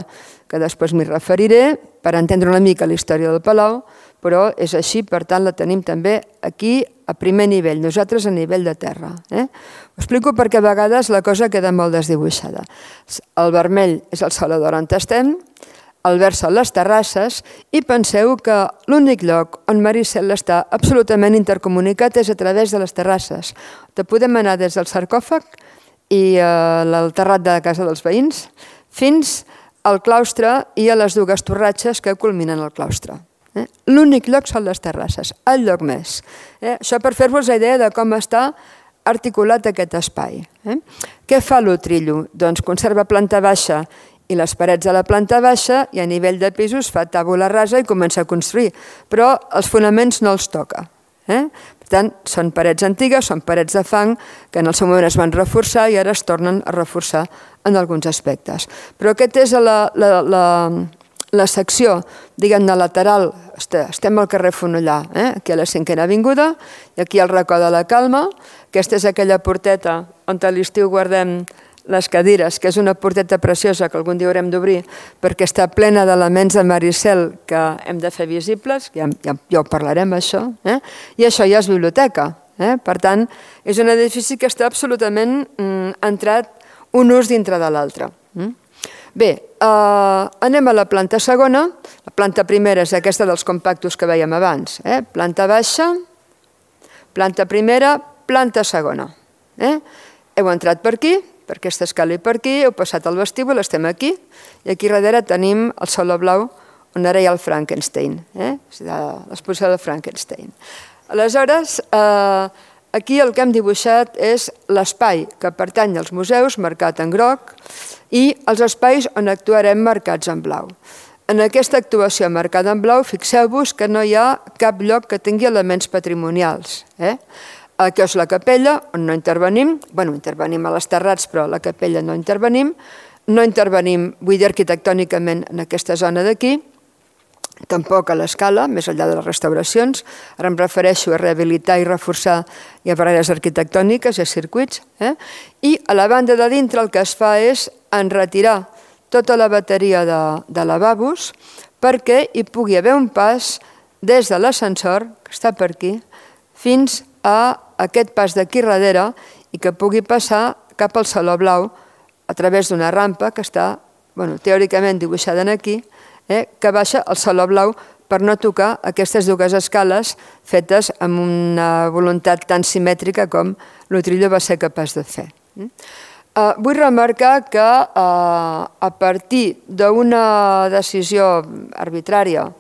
que després m'hi referiré per entendre una mica la història del Palau, però és així, per tant la tenim també aquí a primer nivell, nosaltres a nivell de terra. Ho explico perquè a vegades la cosa queda molt desdibuixada. El vermell és el Salador on estem, el verd són les terrasses i penseu que l'únic lloc on Maricel està absolutament intercomunicat és a través de les terrasses. Te podem anar des del sarcòfag i el terrat de la casa dels veïns fins al claustre i a les dues torratges que culminen el claustre. L'únic lloc són les terrasses, el lloc més. Això per fer-vos la idea de com està articulat aquest espai. Què fa l'Utrillo? Doncs conserva planta baixa i les parets de la planta baixa i a nivell de pisos fa tàbula rasa i comença a construir, però els fonaments no els toca. Per tant, són parets antigues, són parets de fang que en el seu moment es van reforçar i ara es tornen a reforçar en alguns aspectes. Però aquesta és la secció, diguem-ne, lateral. Estem al carrer Fonollar, aquí a la 5a Avinguda, i aquí al racó de la Calma. Aquesta és aquella porteta on a l'estiu guardem les cadires, que és una porteta preciosa que algun dia haurem d'obrir perquè està plena d'elements de Maricel que hem de fer visibles, ja ho parlarem això, i això ja és biblioteca. Per tant, és un edifici que està absolutament entrat un ús dintre de l'altre. Bé, anem a la planta segona. La planta primera és aquesta dels compactos que vèiem abans. Planta baixa, planta primera, planta segona. Heu entrat per aquí, per aquesta escala i per aquí, heu passat al vestíbul, estem aquí, i aquí darrere tenim el Saló Blau, on ara hi ha el Frankenstein, l'exposició del Frankenstein. Aleshores, aquí el que hem dibuixat és l'espai que pertany als museus, marcat en groc, i els espais on actuarem marcats en blau. En aquesta actuació marcada en blau, fixeu-vos que no hi ha cap lloc que tingui elements patrimonials. Aquí és la capella, on no intervenim, intervenim a les terrats, però a la capella no intervenim, vull dir arquitectònicament en aquesta zona d'aquí, tampoc a l'escala, més enllà de les restauracions, ara em refereixo a rehabilitar i reforçar i a barreres arquitectòniques i a circuits, i a la banda de dintre el que es fa és enretirar tota la bateria de lavabos perquè hi pugui haver un pas des de l'ascensor, que està per aquí, fins a aquest pas d'aquí darrere i que pugui passar cap al Saló Blau a través d'una rampa que està teòricament dibuixada aquí, que baixa al Saló Blau per no tocar aquestes dues escales fetes amb una voluntat tan simètrica com l'Utrillo va ser capaç de fer. Vull remarcar que a partir d'una decisió arbitrària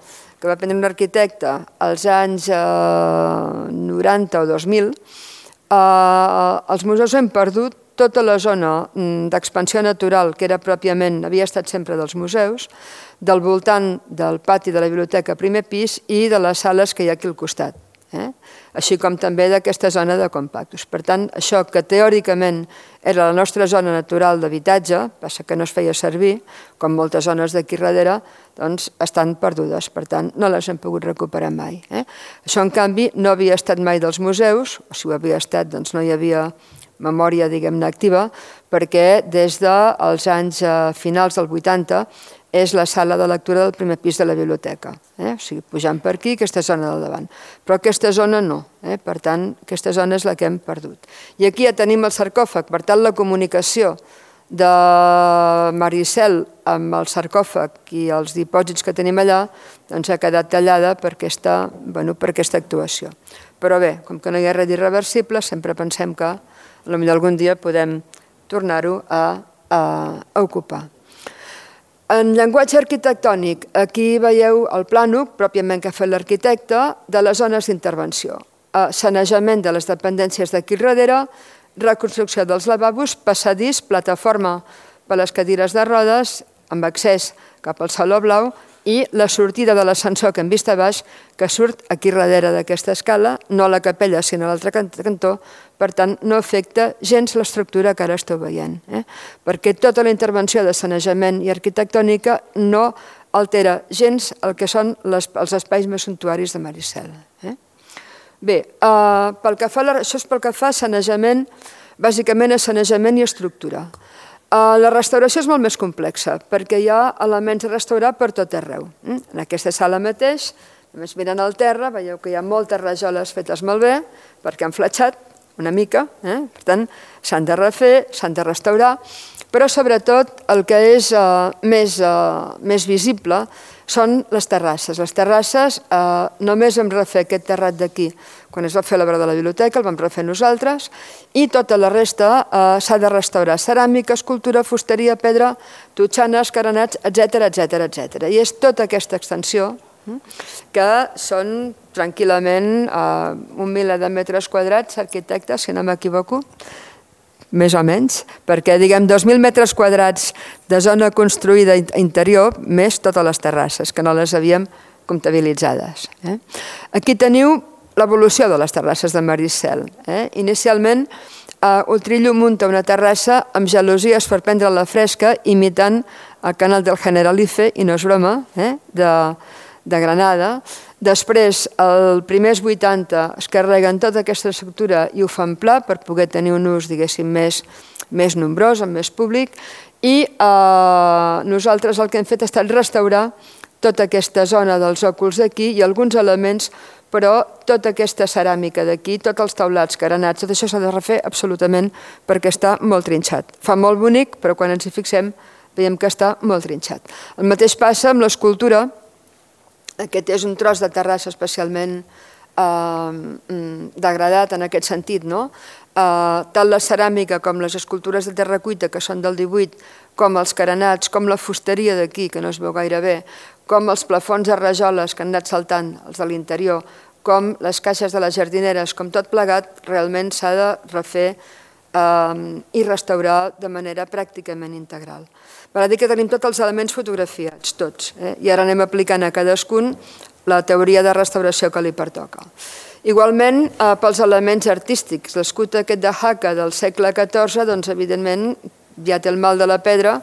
que va prendre un arquitecte als anys 90 o 2000, els museus han perdut tota la zona d'expansió natural que era pròpiament, havia estat sempre dels museus, del voltant del pati de la biblioteca primer pis i de les sales que hi ha aquí al costat, així com també d'aquesta zona de compactos. Per tant, això que teòricament era la nostra zona natural d'habitatge, passa que no es feia servir, com moltes zones d'aquí darrere, doncs estan perdudes, per tant no les hem pogut recuperar mai. Això en canvi no havia estat mai dels museus, o si ho havia estat doncs no hi havia memòria, diguem-ne, activa, perquè des dels anys finals del 80 és la sala de lectura del primer pis de la biblioteca. O sigui, pujant per aquí, aquesta zona del davant. Però aquesta zona no. Per tant, aquesta zona és la que hem perdut. I aquí ja tenim el sarcòfag. Per tant, la comunicació de Maricel amb el sarcòfag i els dipòsits que tenim allà ha quedat tallada per aquesta actuació. Però bé, com que no hi ha res irreversible, sempre pensem que potser algun dia podem tornar-ho a ocupar. En llenguatge arquitectònic, aquí veieu el plànol, pròpiament que ha fet l'arquitecte, de les zones d'intervenció. Sanejament de les dependències d'aquí darrere, reconstrucció dels lavabos, passadís, plataforma per les cadires de rodes, amb accés cap al Saló Blau, i la sortida de l'ascensor que hem vist a baix, que surt aquí darrere d'aquesta escala, no a la capella, sinó a l'altre cantó, per tant, no afecta gens l'estructura que ara esteu veient, perquè tota la intervenció de sanejament i arquitectònica no altera gens el que són els espais més suntuaris de Maricel. Bé, això és pel que fa a sanejament, bàsicament a sanejament i estructura. La restauració és molt més complexa, perquè hi ha elements a restaurar per tot arreu. En aquesta sala mateix, només mirant al terra, veieu que hi ha moltes rajoles fetes molt bé, perquè han fletxat una mica, per tant, s'han de refer, s'han de restaurar, però sobretot el que és més visible són les terrasses. Les terrasses, només vam refer aquest terrat d'aquí quan es va fer l'obra de la biblioteca, el vam refer nosaltres, i tota la resta s'ha de restaurar. Ceràmica, escultura, fusteria, pedra, totxanes, carenats, etc. I és tota aquesta extensió que són tranquil·lament 1.000 de metres quadrats, arquitectes, si no m'equivoco, més o menys, perquè, diguem, 2.000 metres quadrats de zona construïda interior, més totes les terrasses, que no les havíem comptabilitzades. Aquí teniu l'evolució de les terrasses de Maricel. Inicialment, Utrillo munta una terrassa amb gelosies per prendre la fresca, imitant el canal del Generalife, i no és broma, de Granada. Després, els primers 80 es carreguen tota aquesta estructura i ho fan pla per poder tenir un ús, diguéssim, més nombrós, amb més públic, i nosaltres el que hem fet ha estat restaurar tota aquesta zona dels òculs d'aquí i alguns elements, però tota aquesta ceràmica d'aquí, tots els taulats, carenats, tot això s'ha de refer absolutament perquè està molt trinxat. Fa molt bonic, però quan ens hi fixem veiem que està molt trinxat. El mateix passa amb l'escultura. Aquest és un tros de terrassa especialment degradat en aquest sentit, no? Tant la ceràmica com les escultures de terra cuita, que són del 18, com els carenats, com la fusteria d'aquí, que no es veu gaire bé, com els plafons de rajoles que han anat saltant, els de l'interior, com les caixes de les jardineres, com tot plegat, realment s'ha de refer i restaurar de manera pràcticament integral. Val a dir que tenim tots els elements fotografiats, tots, i ara anem aplicant a cadascun la teoria de restauració que li pertoca. Igualment, pels elements artístics, l'escut aquest de Jaca del segle XIV, doncs evidentment ja té el mal de la pedra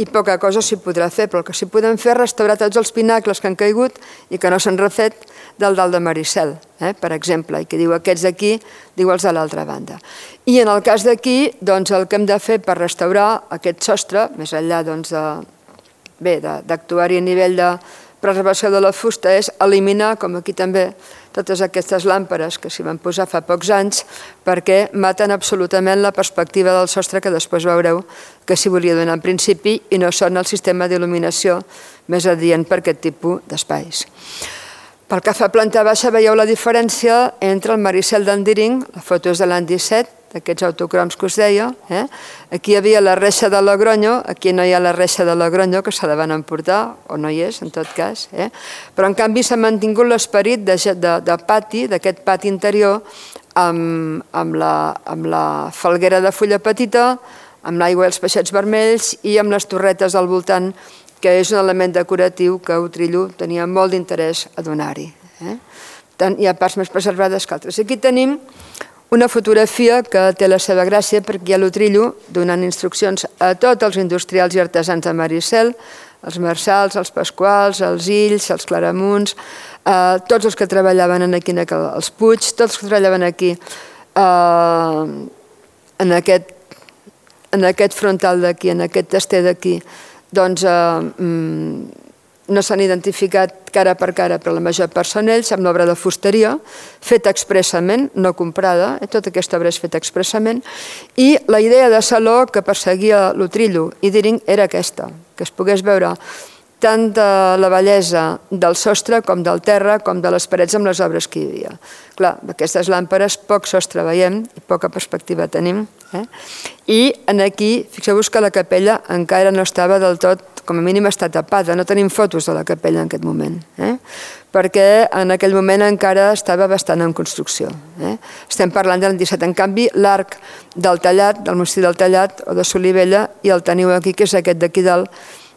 i poca cosa s'hi podrà fer, però el que s'hi podem fer és restaurar tots els pinacles que han caigut i que no s'han refet del dalt de Maricel, per exemple, i que diu aquests d'aquí, diu els de l'altra banda. I en el cas d'aquí, doncs el que hem de fer per restaurar aquest sostre, més enllà d'actuar-hi a nivell de preservació de la fusta, és eliminar, com aquí també, totes aquestes làmperes que s'hi van posar fa pocs anys perquè maten absolutament la perspectiva del sostre que després veureu que s'hi volia donar en principi i no són el sistema d'il·luminació més adient per aquest tipus d'espais. Pel que fa a planta baixa veieu la diferència entre el Maricel d'Endiring, la foto és de l'any 17, d'aquests autocroms que us deia. Aquí hi havia la reixa de Logronyo, aquí no hi ha la reixa de Logronyo, que se la van emportar, o no hi és, en tot cas. Però, en canvi, s'ha mantingut l'esperit de pati, d'aquest pati interior, amb la falguera de fulla petita, amb l'aigua i els peixets vermells i amb les torretes al voltant, que és un element decoratiu que Utrillo tenia molt d'interès a donar-hi. Hi ha parts més preservades que altres. Aquí tenim una fotografia que té la seva gràcia perquè hi ha l'Utrillo donant instruccions a tots els industrials i artesans de Maricel, els Marçals, els Pasquals, els Ills, els Claramunts, tots els que treballaven aquí, els Puig, tots els que treballaven aquí en aquest frontal d'aquí, en aquest tester d'aquí, doncs no s'han identificat cara per cara, però la major part són ells, amb l'obra de fusteria, feta expressament, no comprada, tota aquesta obra és feta expressament, i la idea de saló que perseguia l'Utrillo i Diring era aquesta, que es pogués veure tant de la bellesa del sostre com del terra, com de les parets amb les obres que hi havia. Clar, aquestes làmperes poc sostre veiem i poca perspectiva tenim. I aquí, fixeu-vos que la capella encara no estava del tot, com a mínim està tapada, no tenim fotos de la capella en aquest moment, perquè en aquell moment encara estava bastant en construcció. Estem parlant de l'any 17. En canvi, l'arc del Tallat, del monestir del Tallat o de Solivella, i el teniu aquí, que és aquest d'aquí dalt,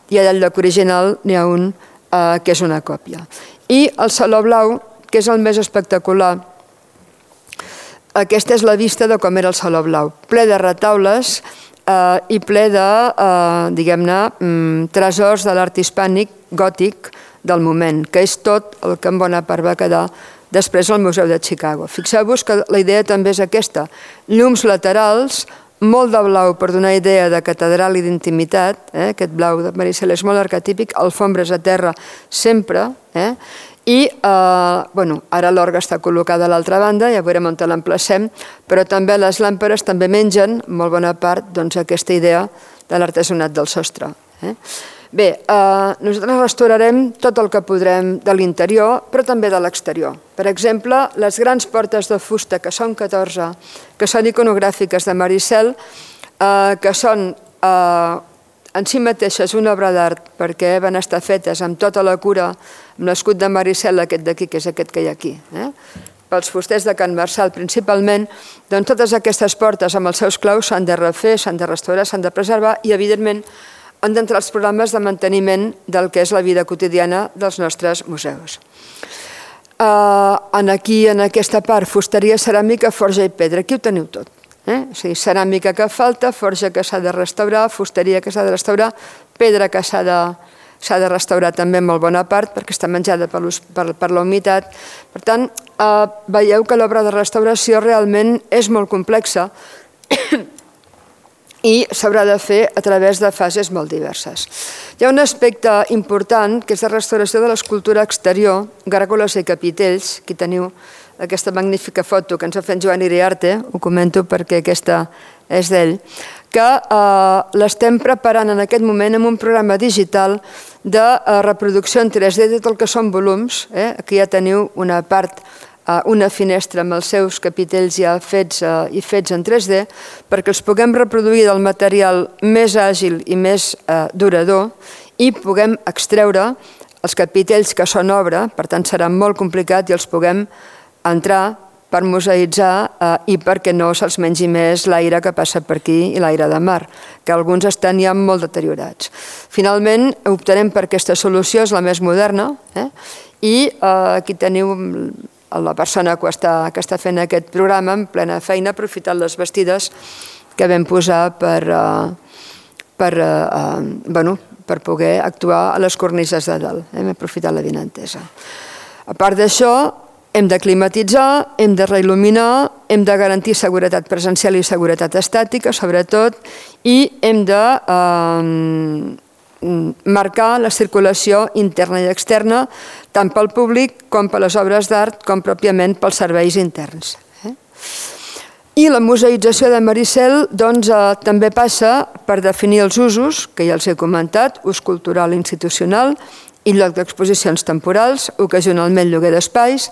i allà al lloc original n'hi ha un que és una còpia. I el Saló Blau, que és el més espectacular, aquesta és la vista de com era el Saló Blau, ple de retaules i ple de, diguem-ne, tresors de l'art hispànic gòtic del moment, que és tot el que en bona part va quedar després al Museu de Chicago. Fixeu-vos que la idea també és aquesta, llums laterals, molt de blau per donar idea de catedral i d'intimitat, aquest blau de Maricel és molt arquetípic, alfombres a terra sempre, i ara l'orgue està col·locada a l'altra banda, ja veurem on l'emplacem, però també les làmperes també mengen molt bona part aquesta idea de l'artesanat del sostre. Bé, nosaltres restaurarem tot el que podrem de l'interior, però també de l'exterior. Per exemple, les grans portes de fusta, que són 14, que són iconogràfiques de Maricel, que són en si mateixes una obra d'art, perquè van estar fetes amb tota la cura, amb l'escut de Maricel, aquest d'aquí, que és aquest que hi ha aquí, pels fusters de Can Marçal principalment, doncs totes aquestes portes amb els seus claus s'han de refer, s'han de restaurar, s'han de preservar i, evidentment, han d'entrar els programes de manteniment del que és la vida quotidiana dels nostres museus. Aquí, en aquesta part, fusteria, ceràmica, forja i pedra. Aquí ho teniu tot. O sigui, ceràmica que falta, forja que s'ha de restaurar, fusteria que s'ha de restaurar, pedra que s'ha de restaurar també en molt bona part perquè està menjada per la humitat. Per tant, veieu que l'obra de restauració realment és molt complexa i s'haurà de fer a través de fases molt diverses. Hi ha un aspecte important que és la restauració de l'escultura exterior, gàrgoles i capitells. Aquí teniu aquesta magnífica foto que ens ha fet Joan Iriarte, ho comento perquè aquesta és d'ell, que l'estem preparant en aquest moment amb un programa digital de reproducció en 3D de tot el que són volums. Aquí ja teniu una part, una finestra amb els seus capitells ja fets en 3D, perquè els puguem reproduir del material més àgil i més durador i puguem extreure els capitells que són obra, per tant serà molt complicat i els puguem entrar per museïtzar i perquè no se'ls mengi més l'aire que passa per aquí i l'aire de mar, que alguns estan ja molt deteriorats. Finalment, optarem per aquesta solució, és la més moderna, i aquí teniu la persona que està fent aquest programa en plena feina, aprofitant les vestides que vam posar per poder actuar a les cornises de dalt. Hem aprofitat la vinentesa. A part d'això, hem de climatitzar, hem de reil·luminar, hem de garantir seguretat presencial i seguretat estàtica, sobretot, i hem de marcar la circulació interna i externa, tant pel públic com per les obres d'art, com pròpiament pels serveis interns. I la museïtzació de Maricel també passa per definir els usos, que ja els he comentat, ús cultural i institucional, i lloc d'exposicions temporals, ocasionalment lloguer d'espais,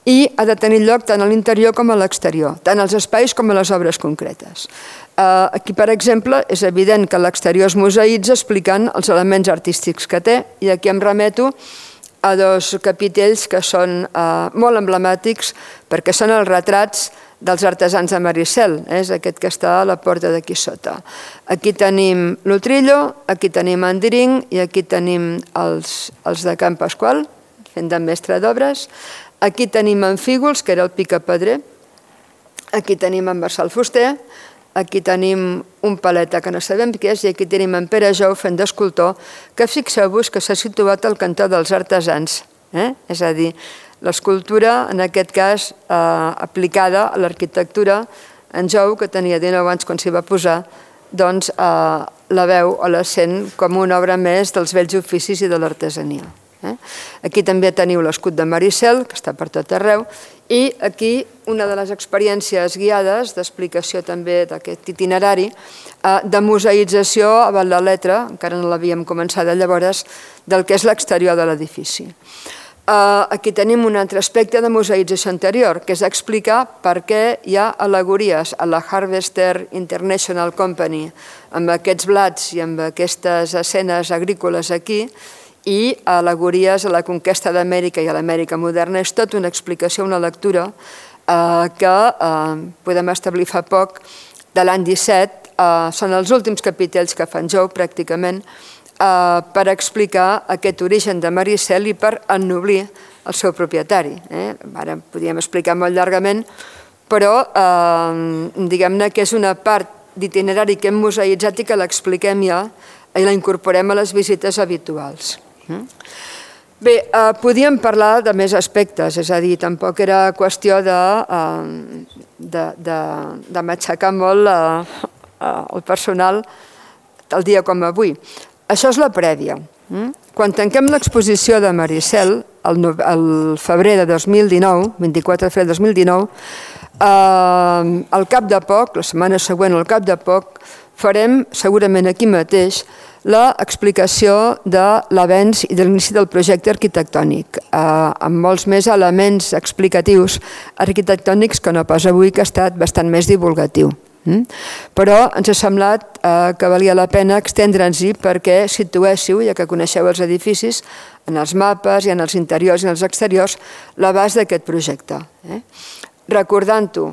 i ha de tenir lloc tant a l'interior com a l'exterior, tant als espais com a les obres concretes. Aquí, per exemple, és evident que l'exterior es museïtza explicant els elements artístics que té, i aquí em remeto a dos capitells que són molt emblemàtics perquè són els retrats dels artesans de Maricel, és aquest que està a la porta d'aquí sota. Aquí tenim l'Utrillo, aquí tenim en Diring i aquí tenim els de Can Pasqual, fent de mestre d'obres. Aquí tenim en Fígols, que era el picapedrer. Aquí tenim en Marçal Fuster. Aquí tenim un paleta que no sabem què és i aquí tenim en Pere Jou fent d'escultor, que fixeu-vos que s'ha situat al cantó dels artesans. És a dir, l'escultura, en aquest cas, aplicada a l'arquitectura, en Jou, que tenia 19 anys quan s'hi va posar, doncs la veu o la sent com una obra més dels vells oficis i de l'artesania. Aquí també teniu l'escut de Maricel, que està per tot arreu, i aquí una de les experiències guiades d'explicació també d'aquest itinerari de museïtzació a la letra, encara no l'havíem començada llavors, del que és l'exterior de l'edifici. Aquí tenim un altre aspecte de museïtzació anterior, que és explicar per què hi ha al·legories a la Harvester International Company amb aquests blats i amb aquestes escenes agrícoles aquí i al·legories a la conquesta d'Amèrica i a l'Amèrica moderna. És tot una explicació, una lectura que podem establir fa poc, de l'any 17. Són els últims capitells que fan Jou, pràcticament, per explicar aquest origen de Maricel i per ennoblir el seu propietari. Ara podríem explicar molt llargament, però diguem-ne que és una part d'itinerari que hem museïtzat i que l'expliquem ja i la incorporem a les visites habituals. Bé, podíem parlar de més aspectes, és a dir, tampoc era qüestió de matxacar molt el personal tal dia com avui. Això és la prèvia. Quan tanquem l'exposició de Maricel, el febrer de 2019, 24 de febrer de 2019, al cap de poc, la setmana següent al cap de poc, farem segurament aquí mateix l'explicació de l'avenç i de l'inici del projecte arquitectònic, amb molts més elements explicatius arquitectònics que no pas avui, que ha estat bastant més divulgatiu. Però ens ha semblat que valia la pena extendre'ns-hi perquè situéssiu, ja que coneixeu els edificis, en els mapes i en els interiors i en els exteriors, l'abast d'aquest projecte. Recordant-ho,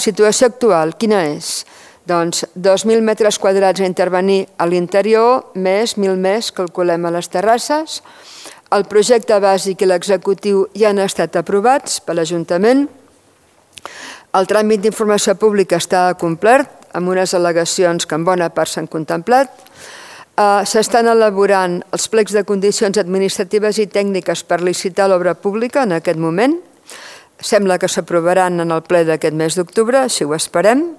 situació actual, quina és? Doncs 2.000 metres quadrats a intervenir a l'interior, més 1.000 més, calculem a les terrasses. El projecte bàsic i l'executiu ja han estat aprovats per l'Ajuntament. El tràmit d'informació pública està complert, amb unes al·legacions que en bona part s'han contemplat. S'estan elaborant els plecs de condicions administratives i tècniques per licitar l'obra pública en aquest moment. Sembla que s'aprovaran en el ple d'aquest mes d'octubre, així ho esperem.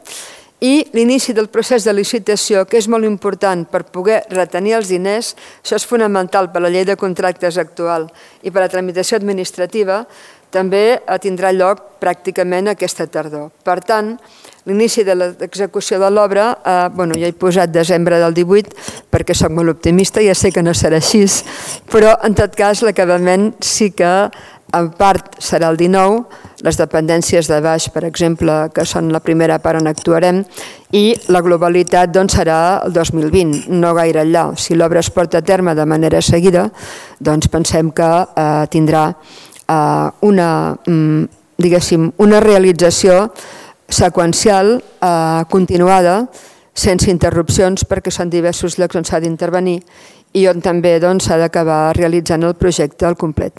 I l'inici del procés de licitació, que és molt important per poder retenir els diners, això és fonamental per la llei de contractes actual i per la tramitació administrativa, també tindrà lloc pràcticament aquesta tardor. Per tant, l'inici de l'execució de l'obra, ja he posat desembre del 18 perquè soc molt optimista, ja sé que no serà així, però en tot cas l'acabament sí que en part serà el 19, les dependències de baix, per exemple, que són la primera part on actuarem, i la globalitat serà el 2020, no gaire enllà. Si l'obra es porta a terme de manera seguida, doncs pensem que tindrà una realització seqüencial, continuada, sense interrupcions, perquè són diversos llocs on s'ha d'intervenir i on també s'ha d'acabar realitzant el projecte al complet.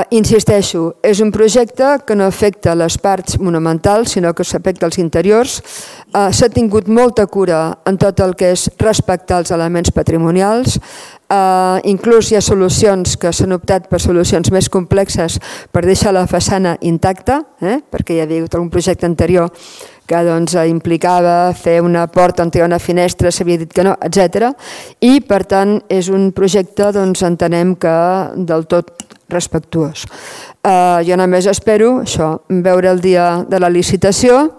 Insisteixo, és un projecte que no afecta les parts monumentals, sinó que s'afecta els interiors. S'ha tingut molta cura en tot el que és respectar els elements patrimonials. Inclús hi ha solucions que s'han optat per solucions més complexes per deixar la façana intacta, perquè hi havia hagut algun projecte anterior que implicava fer una porta on hi ha una finestra, s'havia dit que no, etc. I, per tant, és un projecte, entenem que del tot respectuós. Jo només espero veure el dia de la licitació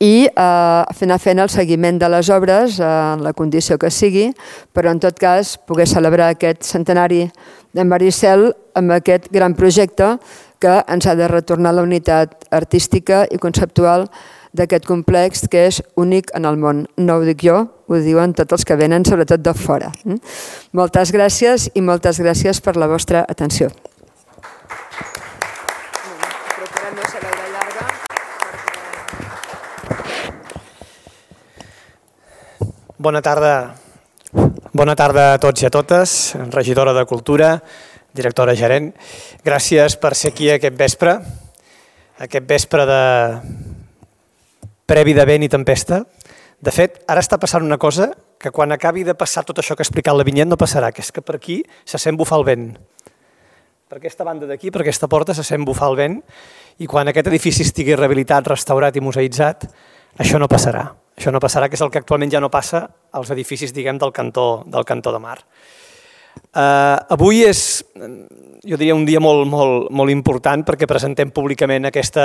i anar fent el seguiment de les obres en la condició que sigui, però en tot cas poder celebrar aquest centenari de Maricel amb aquest gran projecte que ens ha de retornar la unitat artística i conceptual d'aquest complex que és únic en el món. No ho dic jo, ho diuen tots els que venen, sobretot de fora. Moltes gràcies i moltes gràcies per la vostra atenció. Bona tarda a tots i a totes, regidora de Cultura, directora gerent. Gràcies per ser aquí aquest vespre de previ de vent i tempesta. De fet, ara està passant una cosa que quan acabi de passar tot això que ha explicat la Vinyet no passarà, que és que per aquí se sent bufar el vent. Per aquesta banda d'aquí, per aquesta porta, se sent bufar el vent i quan aquest edifici estigui rehabilitat, restaurat i museïtzat, això no passarà. Això no passarà, que és el que actualment ja no passa als edificis, diguem, del cantó de mar. Avui és, jo diria, un dia molt important perquè presentem públicament aquest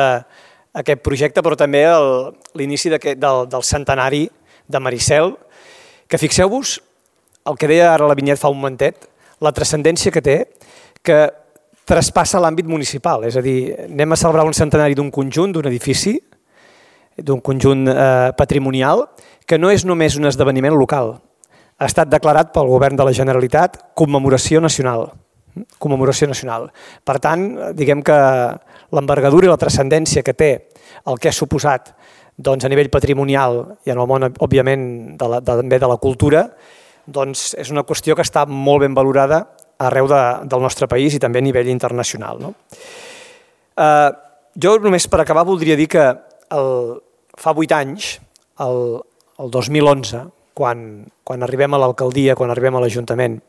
projecte, però també l'inici del centenari de Maricel, que fixeu-vos, el que deia ara la Vinyet fa un momentet, la transcendència que té, que traspassa l'àmbit municipal, és a dir, anem a celebrar un centenari d'un conjunt, d'un edifici, d'un conjunt patrimonial, que no és només un esdeveniment local, ha estat declarat pel Govern de la Generalitat commemoració nacional. Per tant, diguem que l'envergadura i la transcendència que té el que ha suposat a nivell patrimonial i en el món, òbviament, també de la cultura, és una qüestió que està molt ben valorada arreu del nostre país i també a nivell internacional. Jo només per acabar voldria dir que fa 8 anys, el 2011, quan arribem a l'alcaldia, quan arribem a l'Ajuntament,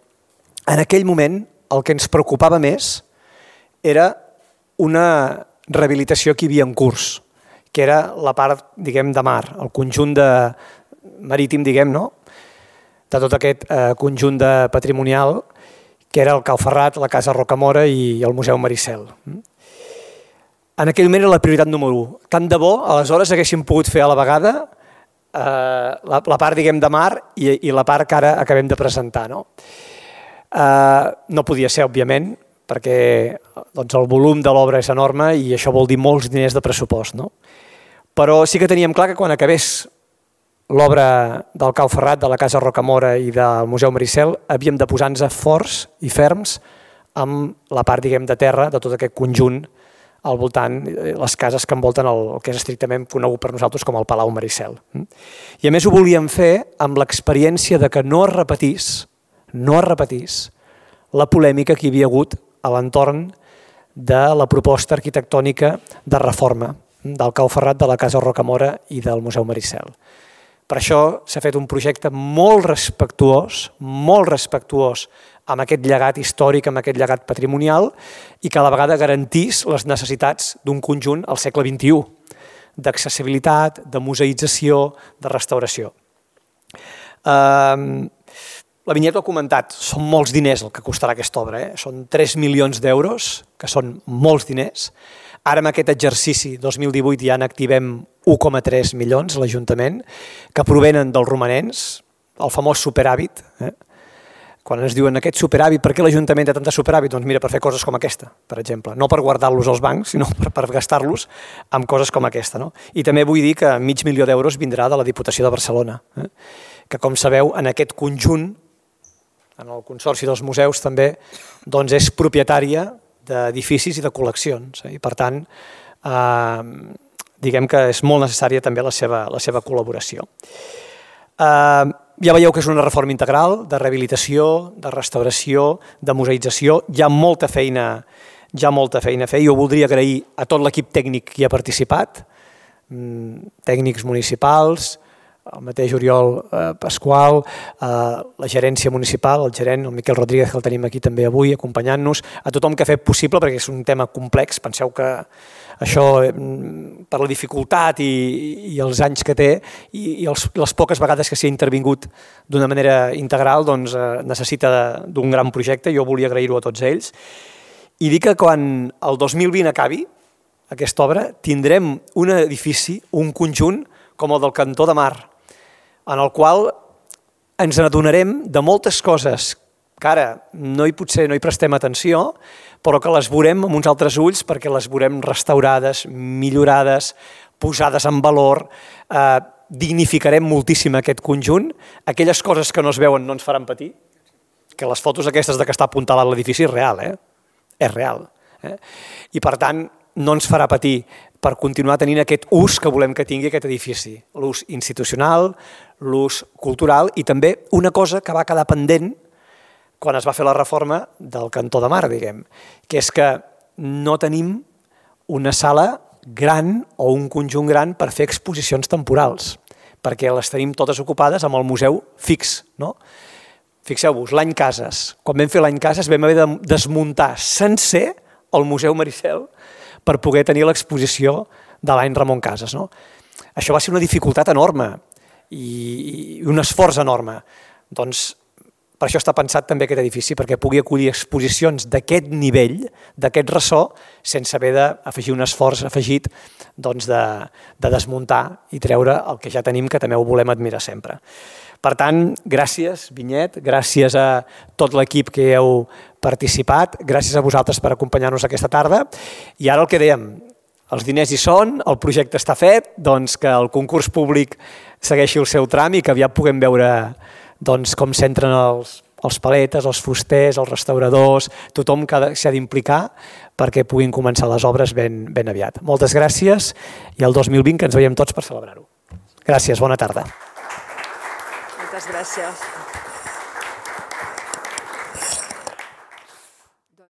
en aquell moment el que ens preocupava més era una rehabilitació que hi havia en curs, que era la part, diguem, de mar, el conjunt marítim, diguem, no? De tot aquest conjunt patrimonial, que era el Cau Ferrat, la Casa Rocamora i el Museu Maricel. En aquell moment era la prioritat número 1. Tant de bo, aleshores haguéssim pogut fer a la vegada la part, diguem, de mar i la part que ara acabem de presentar. No podia ser, òbviament, perquè el volum de l'obra és enorme i això vol dir molts diners de pressupost. Però sí que teníem clar que quan acabés l'obra del Cau Ferrat, de la Casa Rocamora i del Museu Maricel, havíem de posar-nos forts i ferms amb la part, diguem, de terra de tot aquest conjunt al voltant, les cases que envolten el que és estrictament conegut per nosaltres com el Palau Maricel. I a més ho volíem fer amb l'experiència de que no es repetís la polèmica que hi havia hagut a l'entorn de la proposta arquitectònica de reforma del Cau Ferrat, de la Casa Rocamora i del Museu Maricel. Per això s'ha fet un projecte molt respectuós amb aquest llegat històric, amb aquest llegat patrimonial i que a la vegada garantís les necessitats d'un conjunt al segle XXI, d'accessibilitat, de museïtzació, de restauració. La Vinyet ho ha comentat, són molts diners el que costarà aquesta obra, són 3 milions d'euros, que són molts diners. Ara en aquest exercici 2018 ja n'activem 1,3 milions a l'Ajuntament, que provenen dels romanents, el famós superàvit. Quan ens diuen aquest superàvit, per què l'Ajuntament té tanta superàvit? Doncs mira, per fer coses com aquesta, per exemple. No per guardar-los als bancs, sinó per gastar-los amb coses com aquesta. I també vull dir que 500.000 d'euros vindrà de la Diputació de Barcelona, que com sabeu en aquest conjunt, en el Consorci dels Museus també, és propietària d'edificis i de col·leccions. I per tant, diguem que és molt necessària també la seva col·laboració. Ja veieu que és una reforma integral de rehabilitació, de restauració, de museïtzació. Hi ha molta feina a fer. Jo voldria agrair a tot l'equip tècnic que hi ha participat, tècnics municipals, el mateix Oriol Pasqual, la gerència municipal, el gerent, el Miquel Rodríguez, que el tenim aquí també avui acompanyant-nos, a tothom que ha fet possible, perquè és un tema complex. Penseu que això, per la dificultat i els anys que té i les poques vegades que s'hi ha intervingut d'una manera integral, necessita d'un gran projecte. Jo volia agrair-ho a tots ells. I dir que quan el 2020 acabi aquesta obra, tindrem un edifici, un conjunt com el del Cantó de Mar, en el qual ens n'adonarem de moltes coses que ara potser no hi prestem atenció, però que les veurem amb uns altres ulls perquè les veurem restaurades, millorades, posades en valor, dignificarem moltíssim aquest conjunt. Aquelles coses que no es veuen no ens faran patir, que les fotos aquestes de que està apuntalat l'edifici és real, és real. I per tant no ens farà patir per continuar tenint aquest ús que volem que tingui aquest edifici, l'ús institucional, l'ús cultural i també una cosa que va quedar pendent quan es va fer la reforma del Cantó de Mar, diguem, que és que no tenim una sala gran o un conjunt gran per fer exposicions temporals, perquè les tenim totes ocupades amb el museu fix. Fixeu-vos, l'any Cases, quan vam fer l'any Cases vam haver de desmuntar sencer el Museu Maricel per poder tenir l'exposició de l'any Ramon Casas. Això va ser una dificultat enorme i un esforç enorme. Doncs per això està pensat també aquest edifici, perquè pugui acollir exposicions d'aquest nivell, d'aquest ressò, sense haver d'afegir un esforç afegit de desmuntar i treure el que ja tenim, que també ho volem admirar sempre. Per tant, gràcies, Vinyet, gràcies a tot l'equip que heu participat, gràcies a vosaltres per acompanyar-nos aquesta tarda. I ara el que dèiem, els diners hi són, el projecte està fet, doncs que el concurs públic segueixi el seu tràmit i que aviat puguem veure com s'entren els paletes, els fusters, els restauradors, tothom que s'ha d'implicar perquè puguin començar les obres ben aviat. Moltes gràcies i el 2020 que ens veiem tots per celebrar-ho. Gràcies, bona tarda. Moltes gràcies.